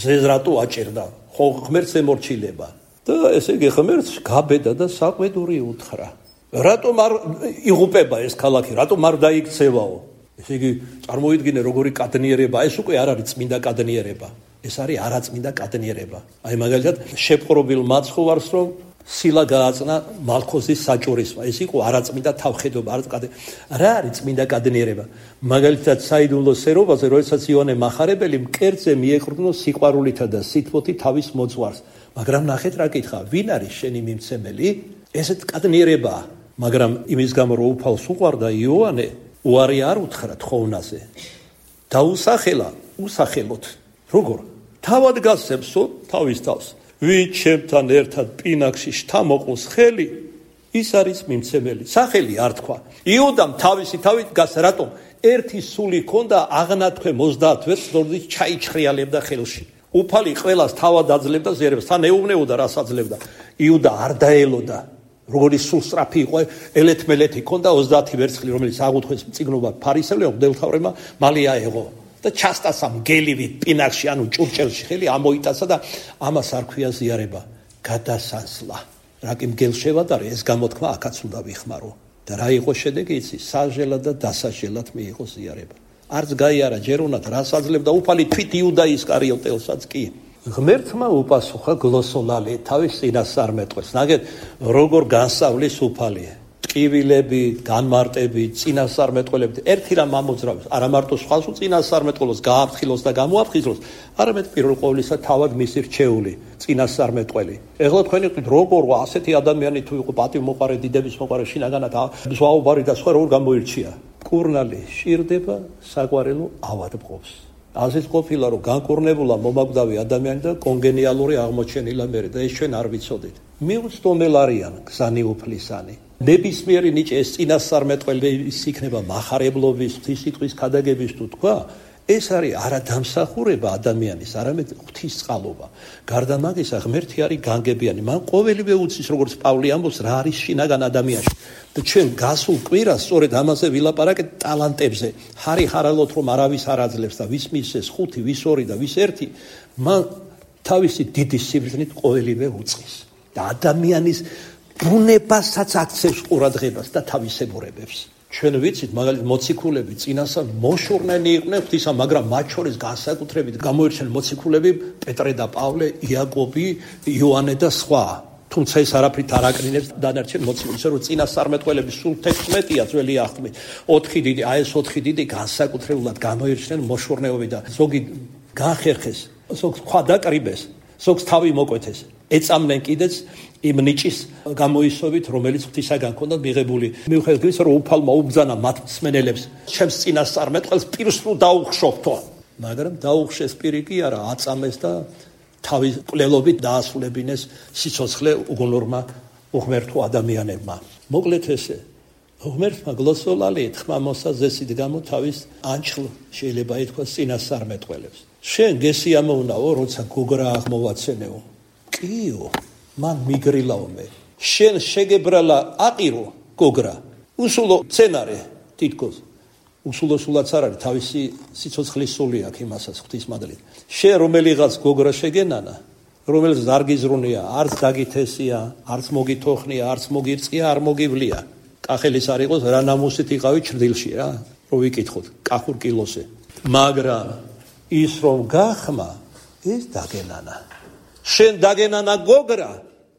[SPEAKER 2] ზეს რატო აჭერდა ხო ღმერთს ემორჩილება და ესე იგი ღმერთს გაბედა და საყვედური უთხრა რატომ არ იღუპება ეს ქალაქი რატომ არ დაიქცევაო ესე იგი წარმოიდგინე როგორი კადნიერება ეს უკვე არ არის წმინდა კადნიერება ეს არის არაწმინდა კადნიერება აი მაგალითად შეპყრობილ მაცხოვარს რომ სილა გააწნა მალქოზის საჭურისმა ეს იყო არაწმინდა თავხედობა რა არის წმინდა კადნიერება მაგალითად საიდუმლო სერობაზე როდესაც იონე მახარებელი მკერდზე მიეყრდნო სიყვარულითა და სითბოთი თავის მოძღვარს მაგრამ ნახეთ რა კითხა ვინ არის შენი მიმცემელი ესეთ კადნიერებაა მაგრამ იმის გამო რომ უფალს უყვარდა იოანე უარი არ უთხრა თხოვნაზე დაუსახელა უსახელოთ როგორ თავად გასცემსო თავის თავს ვით ჩემთან ერთად პინაკში შთამოყოს ხელი ის არის მიმცემელი სახელი არ თქვა იუდამ თავისი თავით გას რატომ ერთი სული ჰქონდა აღნათქვე 30 ვერს დორდით ჩაიჩხრიალებდა ხელში უფალი ყველას თავად აძლევდა ზერებს თან ეუბნეოდა რას აძლევდა იუდა არ დაელოდა როგორი სულსწრაფი იყო ელეთმელეთი ჰქონდა 30 ვერცხლი რომელიც აღუთქვეს მწიგნობა ფარისევლებს მდელთავრებმა მალე აეღო და ჩასტასა მგელივით პინაკში ანუ ჭურჭელში ხელი ამოიტაცა და ამას არ ქვია ზიარება გადასასლა რა კი მგელშევადარე ეს გამოთქმა აქაც უნდა ვიხმარო და რა იყო შედეგი იცი საჟელად და დასაჟელად მიიღო ზიარება არც გაიარა ჯერონად რას აძლევდა უფალი თვით იუდა ისკარიოტელსაც კი ღმერთმა უპასუხა გლოსოლალე თავის წინასწარმეტყველს ნაგეთ როგორ განსავლის უფალი ტკივილები განმარტები წინასწარმეტყველები ერთი რამ ამოძრავებს არა მარტო სხვას უწინასწარმეტყველოს გააფრთხილოს და გამოაფხიზლოს არამედ პირველ ყოვლისა თავად მისი რჩეული წინასწარმეტყველი ეხლა თქვენი ყით როგორ ასეთი ადამიანი თუ იყო პატივმოყარე დიდების მოყარე შინაგანად ზვაობარი და სხვა როგორ გამოირჩია კურნალი შირდება საყვარელო ავადმყოფს ასეც ყოფილა რომ განკურნებულა მომაკვდავი ადამიანი და კონგენიალური აღმოჩენილა მერე და ეს ჩვენ არ ვიცოდით მიუწვდომელ არიან გზანი უფლისანი ნებისმიერი ნიჭი ეს წინასწარმეტყველი იქნება მახარებლობის სიტყვის ქადაგების თუ თქვა ეს არის არა დამსახურება ადამიანის, არამედ ღვთისწყალობა. გარდა მაგისა, ღმერთი არის განგებიანი. მან ყოველივე უცის, როგორც პავლე ამბობს, რა არის შინაგან ადამიანში. და ჩვენ გასულ კვირას სწორედ ამაზე ვილაპარაკეთ ტალანტებზე. ხარი ხარალოთ რომ არავის არ აძლევს და ვის მისცეს 5, ვის 2 და ვის 1, მან თავისი დიდი სიბრძნით ყოველივე უწყის. და ადამიანის ბუნებასაც აქცევს ყურადღებას და თავისებურებებს. ჩვენ ვიცით, მაგალითად, მოციქულები წინასწარ მოშორნენი იყვნენ ღვთისა, მაგრამ მათ შორის განსაკუთრებით გამოირჩნენ მოციქულები პეტრე და პავლე, იაკობი, იოანე და სხვა. თუმცა ეს არაფრით არ აკრინებს დანარჩენ მოციქულებს, რომ წინასწარმეტყველების სულ 16-ია ძველი აღთქმით. 4 დიდი, ეს 4 დიდი განსაკუთრებულად გამოირჩნენ მოშორნეობით და ზოგი განხერხეს, ზოგს ხვა დაკრიბეს, ზოგს თავი მოკვეთეს. ეწამნენ კიდეც იმ ნიჭის გამოისობით, რომელიც ღვთისაგან ჰქონდათ მიღებული. მიუხედავად იმისა, რომ უფალმა უბრძანა მათ მსმენელებს, ჩემს წინასწარმეტყველს პირს თუ დაუხშობთო, მაგრამ დაუხშეს პირი კი არა, აწამეს და თავის კვლელობით დაასრულებინეს სიცოცხლე უგუნურმა უღმერთო ადამიანებმა. მოკლედ ესე, უღმერთმა გლოსოლალი თხმა მოსაზესით გამო თავის ანჩლ შეიძლება ითქვას წინასწარმეტყველებს. შენ გესიამოვნაო, როცა გოგრა აღმოვაცენეო. კიო, მან მიგრილაო მე. შენ შეგებრალა აყირო გოგრა. უსულო სცენარე თითქოს. უსულოსულაც არ არის, თავისი სიცოცხლის სული აქვს იმასაც ღვთისმადლით. შენ რომელიღაც გოგრა შეგენანა, რომელიც არ გიზრუნია, არც დაგითესია, არც მოგითოხნია, არც მოგირწია, არ მოგივლია. კახელის არ იყოს, რა ნამუსით იყავი ჩრდილში რა, რო ვიკითხოთ, კახურ კილოსე. მაგრამ ის რომ გახმა, ეს დაგენანა. შენ დაგენანა გოგრა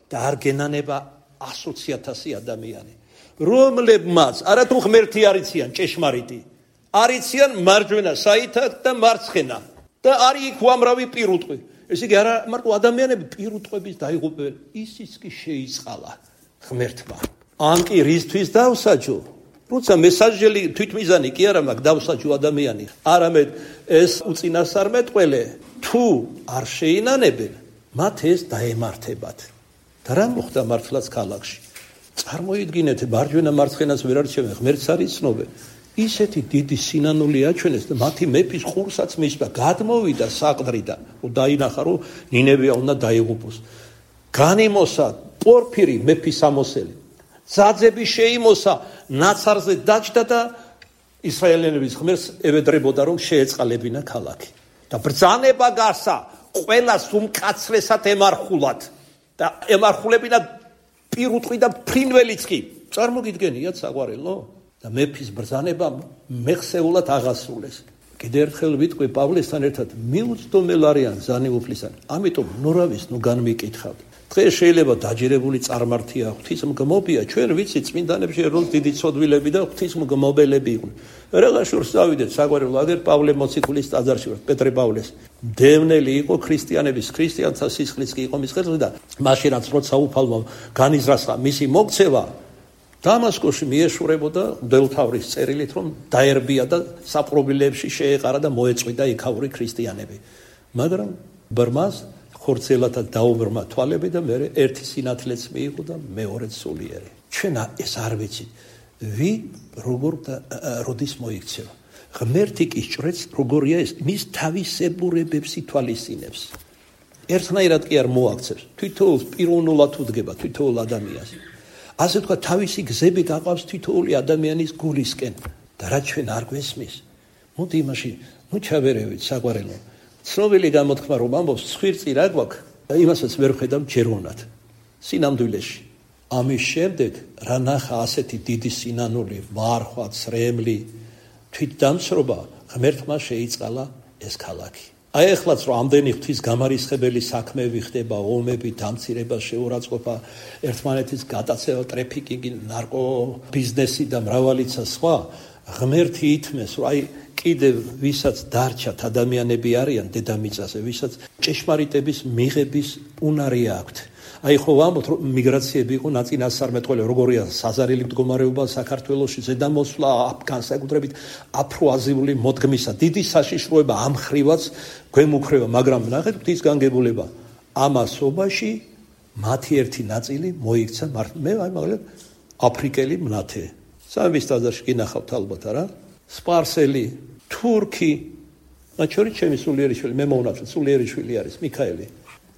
[SPEAKER 2] და არ გენანება 120,000 ადამიანი, რომლებმაც არათუ ღმერთი არიციან ჭეშმარიტი, არიციან მარჯვენა საითად და მარცხენა და არის იქ უამრავი პირუტყვი. ესე იგი არა მარტო ადამიანები პირუტყვების დაიღუპებენ, ისიც კი შეიწყალა ღმერთმა. ან კი რისთვის დავსაჯო? როცა მესაჯელი თვითმიზანი კი არა მაქვს დავსაჯო ადამიანი, არამედ ეს უწინასწარმეტყველე თუ არ შეინანებენ, მათ ეს დაემართებათ. და რა მოხდა მართლაც ქალაქში? წარმოიდგინეთ, მარჯვენა მარცხენას ვერ არჩევენ, ღმერთს არ იცნობენ. ისეთი დიდი სინანული აჩვენეს და მათი მეფის ყურსაც მისვა, გადმოვიდა საყდრიდან, დაინახა, რომ ნინევია უნდა დაიღუპოს. განიმოსა პორფირი მეფის ამოსელი. ძაძები შეიმოსა, ნაცარზე დაჯდა და ისრაელიანების ღმერთს ევედრებოდა, რომ შეეწყალებინა ქალაქი. და ბრძანება გასა, ყველას უმკაცრესად ემარხულად და ემარხულებინა პირუტყვი და ფრინველიც კი. წარმოგიდგენიათ საყვარელო? და მეფის ბრძანებამ მეხსეულად აღასრულეს. კიდევ ერთხელ ვიტყვი პავლესთან ერთად, მიუწდომელ არიან ზანი უფლისან. ამიტომ ნურავის ნუ განმიკითხავთ. დღეს შეიძლება დაჯერებული წარმართია, ღვთისმგმობია, ჩვენ ვიცით წმინდანებში რომ დიდი ცოდვილები და ღვთისმგმობელები იყვნენ. რაღაც შორს წავიდეთ საყვარელო, აგერ პავლე მოციქულის ტაძარში ვარ, პეტრე პავლეს. დევნელი იყო ქრისტიანების, ქრისტიანთა სისხლიც კი იყო მის ხელში და მაშინაც როცა უფალმა განიზრახა მისი მოქცევა, დამასკოში მიეშურებოდა მდელთავრის წერილით, რომ დაერბია და საპყრობილეებში შეეყარა და მოეწვიდა იქაური ქრისტიანები. მაგრამ ბრმას ხორცელათა დაუბრმა თვალები და მე ერთი სინათლეც მიიღო და მეორეც სულიერი. ჩვენ ეს არ ვიცით, როგორ და როდის მოიქცევა. ღმერთი კი ჭრեց, როგორია ეს, მის თავისებურებებს ითვალისწინებს. ერთნაირად კი არ მოაქცევს, თვითოულს პიროვნულად უდგება თვითოულ ადამიანს. ასე თქვა, თავისი გზები გაყავს თითოეული ადამიანის გულისკენ და რაც ჩვენ არ გვესმის, მოდი იმაში ჩავერევით საყვარელო. ცნობილი გამოთქმა რომ ამბობს, ცხვირწი რა გვაქვს და იმასაც ვერ ხედავ ჯეროვნად სინამდვილეში. ამის შემდეგ რა ნახა ასეთი დიდი სინანული, ვარხვა, ცრემლი, თვითდამსრობა, ღმერთმა შეიწყალა ეს ქალაქი. აი ეხლაც რომ ამდენი ღვთის გამარისხებელი საქმეები ხდება, ომები, დამცირება, შეურაცხყოფა, ერთმანეთის გატაცება, ტრეფიკინგი, ნარკო ბიზნესი და მრავალიცა სხვა, ღმერთი ითმეს, რომ აი კიდევ ვისაც დარჩათ ადამიანები არიან დედამიწაზე, ვისაც ჭეშმარიტების მიღების უნარი აქვთ. აი ხო ვამბობთ, რომ მიგრაციები იყო ნაწინასწარმეტყველი, როგორია საზარელი მდგომარეობა საქართველოში, ზედამოსვლა, განსაკუთრებით აფროაზიული მოდგმისა, დიდი საშიშროება ამ ხრივაც გვემუქრება, მაგრამ ნახეთ ღვთის განგებულება. ამასობაში მათი ერთი ნაწილი მოიქცა, მე მაგალითად აფრიკელი მნათე. სამების ტაძარში გინახავთ ალბათ არა? სპარსელი, თურქი, მათ შორის ჩემი სულიერი შვილი, მე მოუნათლე სულიერი შვილი არის მიქაელი.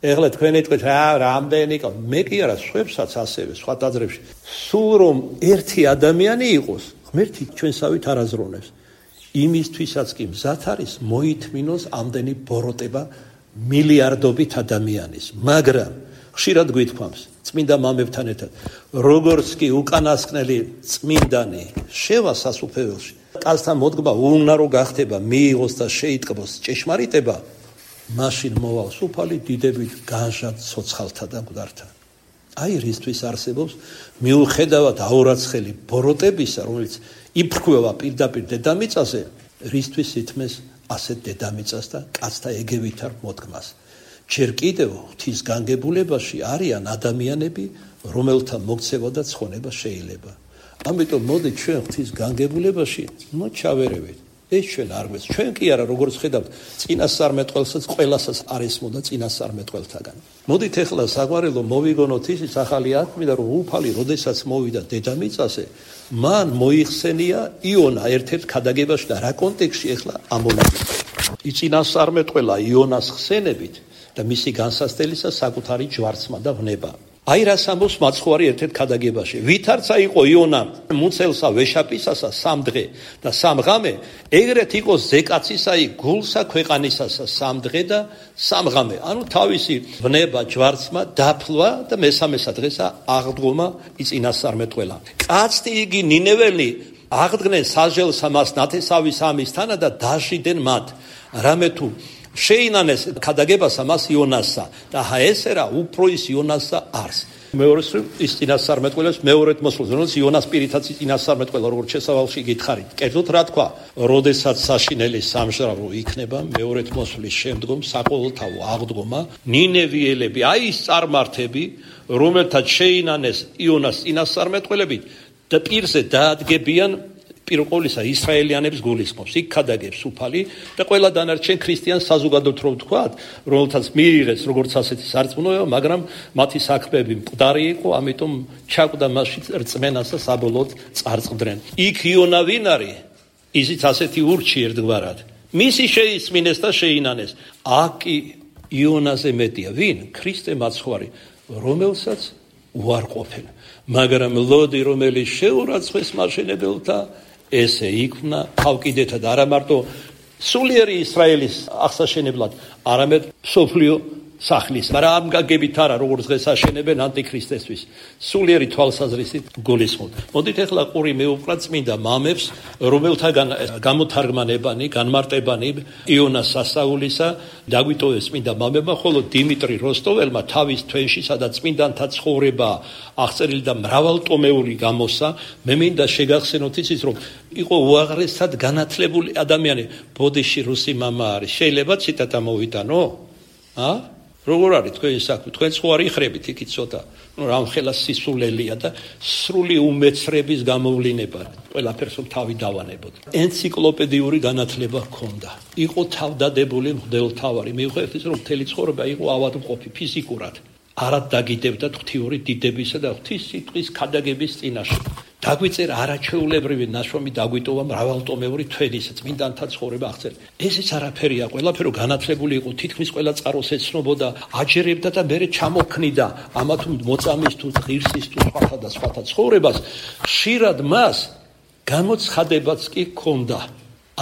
[SPEAKER 2] ეხლა თქვენ ეთქვით რამდენი მე კი არა სხვებსაც ასევე სხვა დაძრებში. სულ რომ ერთი ადამიანი იყოს, ღმერთი ჩვენსავით არაზრუნებს. იმისთვისაც კი მზად არის მოითმინოს ამდენი ბოროტება მილიარდობით ადამიანის, მაგრამ ხშირად გვითქვამს წმინდა მამებთან ერთად, როგორც კი უკანასკნელი წმინდანი შევა სასუფეველში, კაცთან მოდგმა უნარო გახდება, მიიღოს და შეიტყბოს ჭეშმარიტება, მაშინ მოვალ სუფალი დიდებით განჟად ცოცხალთა და მკვდართა. აი რისთვის არსებობს მიუხედავად აურაცხელი ბოროტებისა, რომელიც იფრქვევა პირდაპირ დედამიწაზე, რისთვის ითმეს ასეთ დედამიწას და კაცთა ეგევითარ მოდგმას. ჯერ კიდევ ღვთის განგებულებაში არიან ადამიანები, რომელთა მოქცევა და ცხონება შეიძლება. ამიტომ მოდით ჩვენ ღვთის განგებულებაში ჩავერევით. ეს ჩვენ არ გვეს. ჩვენ კი არა, როგორც ხედავთ, წინასწარმეტყველსაც ყველასაც არ ესმოდა წინასწარმეტყველთაგან. მოდით ეხლა საგვარელო მოვიგონოთ ისიც ახალი ათმიდა, რომ უფალი როდესაც მოვიდა დედამიწაზე, მან მოიხსენია იონა ერთ-ერთ ქადაგებაში და რა კონტექსტში ეხლა ამონაკლისს. წინასწარმეტყველა იონას ხსენებით და მისი განსასწრელისა საკუთარი ჯვარცმა და ვნება. აი რას ამბობს მაცხოვარი ერთ-ერთ ქადაგებაში. ვითარცა იყო იონა მუცელსა ვეშაპისასა 3 დღე და 3 ღამე, ეგრეთ იყო ზეკაცისაი გულსა ქვეყანისასა 3 დღე და 3 ღამე. ანუ თავისი ვნება ჯვარცმა დაფლვა და მესამესა დღესა აღდგომა იწინასწარმეტყველა. კაცთი იგი ნინეველი აღდგნენ სასჯელსა მას ნათესავის ამისთანა და დაჟიდენ მათ. რამე თუ შეინანეს ქადაგებასა მას იონასსა და ჰაესერა უფრო ის იონასსა არს. მეორე ის წინასწარმეტყველებს მეორედ მოსულს, რომელიც იონას პირითაც წინასწარმეტყველა, როგორც შესავალში გითხარით. კერძოდ რა თქვა, როდესაც საშინელი სამშრალო იქნება მეორედ მოსulis შემდგომ საყოველთაო აღდგომა, ნინევიელები, აი ის წარმართები, რომელთაც შეინანეს იონას წინასწარმეტყველებით და პირზე დაადგებიან პირყოლისა ისრაელიანებს გულისხმობს. იქ ქადაგებს უფალი და ყველა დანარჩენ ქრისტიან საზოგადოებთ რომ ვთქვათ, რომელთაც მიიღეს როგორც ასეთი სარწმუნოება, მაგრამ მათი საქმეები მკვდარი იყო, ამიტომ ჩაკვდა მასში რწმენას და საბოლოოდ წარწყდნენ. იქ იონა ვინ არის? ისიც ასეთი ურჩი ერთგვარად. მისი შეისმინეს და შეინანეს. აქ კი იონაზე მეტია ვინ? ქრისტე მაცხვარი, რომელსაც უარყოფენ. მაგრამ ლოდი რომელიც შეურაცხეს მაშენებელთა ესე იქმნა თავკიდეთა და არა მარტო სულიერი ისრაელის აღსაშენებლად, არამედ სოფლიო სახლის. მაგრამ ამ გაგებით არა, როგორც დღეს აშენებენ ანტიქრისტესთვის. სულიერი თვალსაზრისით გულისხმობთ. მოდით ეხლა ყური მეუყრა წმინდა მამებს, რომელთაგან გამოთარგმანებანი, განმარტებანი იონას სასაულისა დაგვიტოვეს წმინდა მამებმა, ხოლო დიმიტრი როსტოველმა თავის თვენში, სადაც წმინდანთა ცხოვრება აღწერილი და მრავალტომეული გამოსა, მე მინდა შეგახსენოთ ისიც, რომ იყო უაღრესად განათლებული ადამიანი. ბოდიში რუსი მამა არის. შეიძლება ციტატა მოვიტანო? როგორ არის თქვენი საქმე? თქვენ ხო არ იხრებით იქით ცოტა. რამხელა სისულელია და სრული უმეცრების გამოვლინება. ყველაფერს თავი დავანებოთ. ენციკლოპედიური განათლება ჰქონდა. იყო თავდადებული მღვდელმთავარი. მიუხედავად ის რომ მთელი ცხოვრება იყო ავადმყოფი ფიზიკურად. არად დაგიდებდა ღვთიური დიდებისა და ღვთის სიტყვის ქადაგების წინაშე. დაგვიწერა არაჩვეულებრივი ნაშრომი, დაგვიტოვა მრავალტომეული თვენის წმინდანთა ცხოვრება აღწერა. ესეც არაფერია, ყველაფერო განათლებული იყო, თითქმის ყველა წყაროს ეცნობოდა, აჯერებდა და მერე ჩამოქმნიდა ამა თუ მოწამის თუ ღირსის თუ სხვათა და სხვათა ცხოვრებას. ხშირად მას გამოცხადებაც კი ჰქონდა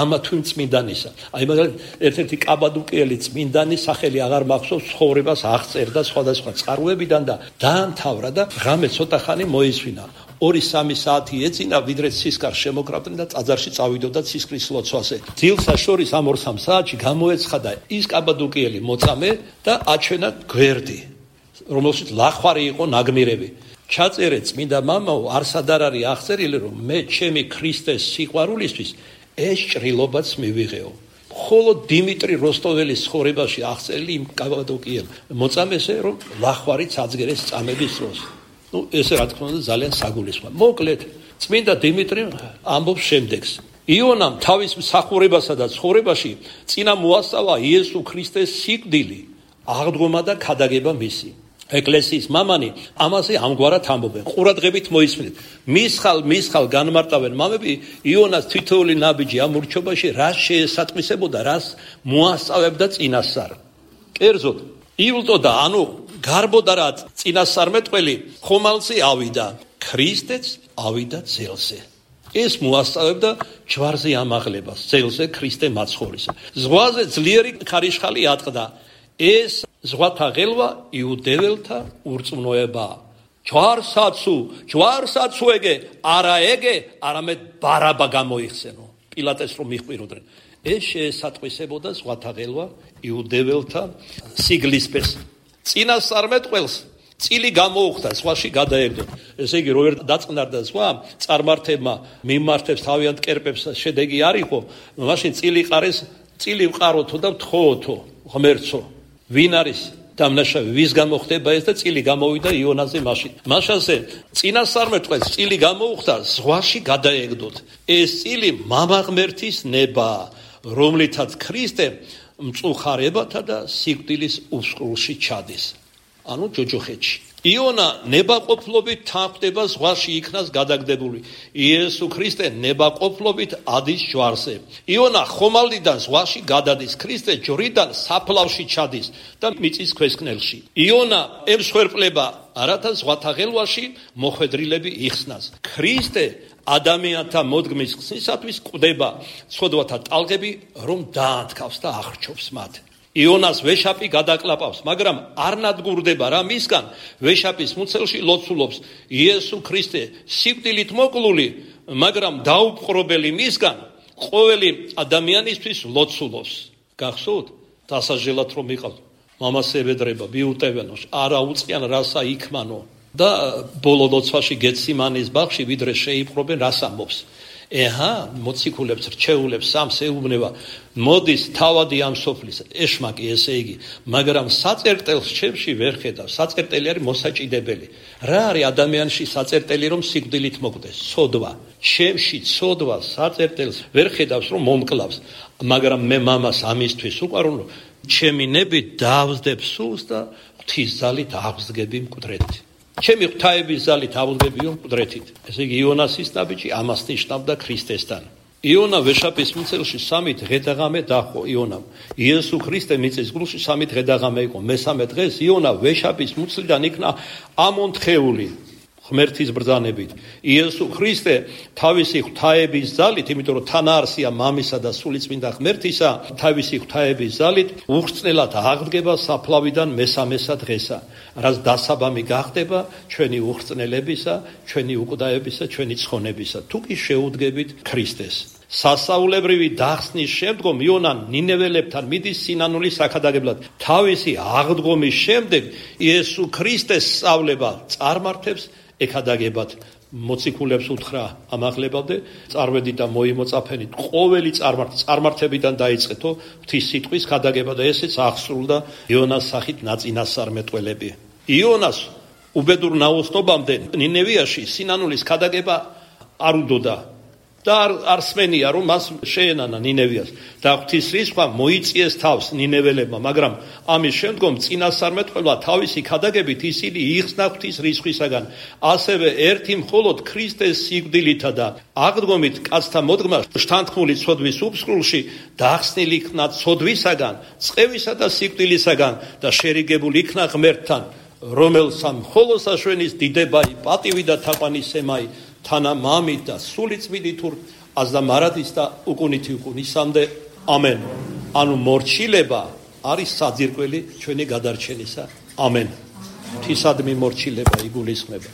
[SPEAKER 2] ამა თუ წმინდანისა. აი მაგალითად ერთ-ერთი კაბადუკიელი წმინდანი სახელი აღარ მახსოვს, ცხოვრებას აღწერდა სხვადასხვა წყაროებიდან და დაამთავრა და ღამე ცოტა ხანი მოისვინა. 2-3 საათი ეწინა, ვიდრე ცისკარ შემოკრავდნენ და ტაძარში წავიდოდა ცისკრის ლოცვაზე. ძილსა შორის ამ 2-3 საათში გამოეცხადა ის კაბადუკიელი მოწამე და აჩვენა გვერდი, რომელშიც ლახვარი იყო ნაგმირები. ჩაწერე წმინდა მამაო, არსად არ არის აღწერილი, რომ მე ჩემი ქრისტეს სიყვარულისთვის ეს ჭრილობაც მივიღეო. ხოლო დიმიტრი როსტოველის ცხოვრებაში აღწერილი იმ კაბადოკიელ მოწამესე, რომ ლახვარიც აწგერეს წამების დროს. ესე რა თქმა უნდა ძალიან საგულისხმოა. მოკლედ, წმინდა დიმიტრი ამბობს შემდეგს. იონამ თავის მსახურებასა და ცხოვრებაში წინა მოასწავლა იესო ქრისტეს სიკვდილი, აღდგომა და ქადაგება მისი. ეკლესიის მამანი ამაზე ამგვარად ამბობენ. ყურადღებით მოისმინეთ. მის ხალ განმარტავენ მამები იონას თითოეული ნაბიჯი ამ ურჩობაში რას შეესატყვისებოდა, რას მოასწავებდა წინასწარ. კერძოდ, ივლტოდა, ანუ გარბოდა რა წინასწარმეტყველი ხომალდზე ავიდა, ქრისტეც ავიდა ძელზე. ეს მოასწავებდა ჯვარზე ამაღლებას, ძელზე ქრისტე მაცხოვრისა. ზღვაზე ძლიერი ქარიშხალი ატყდა. ეს ზღვათა ღელვა იუდეველთა ურწმუნოება. ჯვარსაცუ ეგე, არა ეგე, არამედ ბარაბა გამოიხსენო. პილატეს რომ მიჰყვიროდნენ. ეს შეესატყვისებოდა ზღვათა ღელვა იუდეველთა სიგლისფერს. წინასწარმეტყველს წილი გამოუხდა, ზღვაში გადაეგდო. ესე იგი, რო ვერ დაწყნარდა ზღვა, წარმართებმა მიმართებს თავიანთ კერპებს შედეგი არ იყო, მაშინ წილი ყარეს, წილი ვყაროთო და ვთხოვოთო, ღმერთო. ვინ არის დამნაშავე, ვის გამოხდება ეს და წილი გამოვიდა იონაზე მაშინ. მაშასე წინასწარმეტყველს წილი გამოუხდა, ზღვაში გადაეგდოთ. ეს წილი მამა ღმერთის ნება, რომლითაც ქრისტე მწუხარებათა და სიკვდილის უსყრულში ჩადის. ანუ ჯოჯოხეთში. იონა ნებაყოფლობით თანხდება ზღვაში იქნას გადაგდებული. იესო ქრისტე ნებაყოფლობით ადის ჯვარზე. იონა ხომალდიდან ზღვაში გადადის, ქრისტე ჯვრიდან საფლავში ჩადის და მიწის ქვესკნელში. იონა ემსხვერპლება, რათა ზღვათა ღელვაში მოხვედრილები იხსნას. ქრისტე ადამიანთა მოდგმის ხსნისათვის კვდება ცოდვათა ტალღები, რომ დაანთქავს და ახრჩობს მათ. იონას ვეშაპი გადაკლაპავს, მაგრამ არ ნადგურდება რა მისგან, ვეშაპის მუცელში ლოცულობს. იესო ქრისტე სიკვდილით მოკლული, მაგრამ დაუპყრობელი მისგან, ყოველი ადამიანისთვის ლოცულობს. გახსოვთ? დასაჟელად რომ იყავთ, მამას ებედრება, მიუტევენო, არა უწყიან რასა იქმანო და ბოლო ლოცვაში გეციმანის ბაღში ვიდრე შეიპყრობენ რას ამბობს. ეჰა, მოციქულებს, რჩეულებს სამს ეუბნება, მოდის თავადი ამ სოფლის, ეშმაკი ესე იგი, მაგრამ საწერტელს ჩემში ვერ ხედავ, საწერტელი არის მოსაჭიდებელი. რა არის ადამიანში საწერტელი, რომ სიკვდილით მოკვდეს? ცოდვა. ჩემში ცოდვა საწერტელს ვერ ხედავს, რომ მომკლავს, მაგრამ მე მამას ამისთვის უყვარვ, ჩემი ნები დავსდებ სულს და ღვთის ძალით აღსგები მკვდრეთით. ჩემი ღვთაების ძალით ავუძგებიო მკვდრეთით. ესე იგი იონასის ნაბიჯი ამას ნიშნავდა ქრისტესთან. იონა ვეშაპის მუცელში 3 დღე და ღამე დაჰყო იონამ. იესო ქრისტე მიწის გულში 3 დღე და ღამე იყო. მესამე დღეს იონა ვეშაპის მუცლიდან იქნა ამონთხეული ღმერთის ბრძანებით. იესო ქრისტე თავისი ღვთაების ძალით, იმიტომ რომ თანაარსია მამისა და სულიწმინდა ღმერთისა, თავისი ღვთაების ძალით უხრწნელად აღდგება საფლავიდან მესამესა დღესა, რაც დასაბამი გახდება ჩვენი უხრწნელებისა, ჩვენი უკვდაებისა, ჩვენი ცხონებისა, თუ კი შეუდგებით ქრისტეს. სასაულებრივი დახსნის შემდგომ იონა ნინეველებთან მიდის სინანულის აქადაგებლად. თავისი აღდგომის შემდეგ იესო ქრისტეს სწავლება წარმართებს ეკადაგებად. მოციქულებს უთხრა ამაღლებავდე, წარვედით და მოიმოწაფენით ყოველი წარმართებიდან დაიწყეთო ღვთის სიტყვის ქადაგება და ესეც აღსრულდა იონას სახით ნაწინასწარმეტყველები. იონას უბედურ ნაოსნობამდე ნინევიაში სინანულის ქადაგება არ უდოდა და არ სმენია რომ მას შეენანა ნინევიას და ღვთის რისხვა მოიწიეს თავს ნინეველებმა, მაგრამ ამის შემდგომ წინასწარმეტყველმა თავისი ქადაგებით ისინი იხსნა ღვთის რისხვისაგან, ასევე ერთი მხოლოდ ქრისტეს სიკვდილითა და აღდგომით კაცთა მოდგმა შთანთქმული ცოდვის უფსკრულში დახსნილი იქნა ცოდვისაგან, წყევისა და სიკვდილისაგან და შერიგებული იქნა ღმერთთან, რომელსა მხოლოდ საშვენის დიდებაი, პატივი და თაყვანისცემაი თანა მამით და სულიწმინდით აზდა მარადის და უკუნითი უკუნისამდე. ამენ. ანუ მორჩილება არის საძირკველი ჩვენი გადარჩენისა. ამენ. ღვთისადმი მორჩილება იგულისხმება.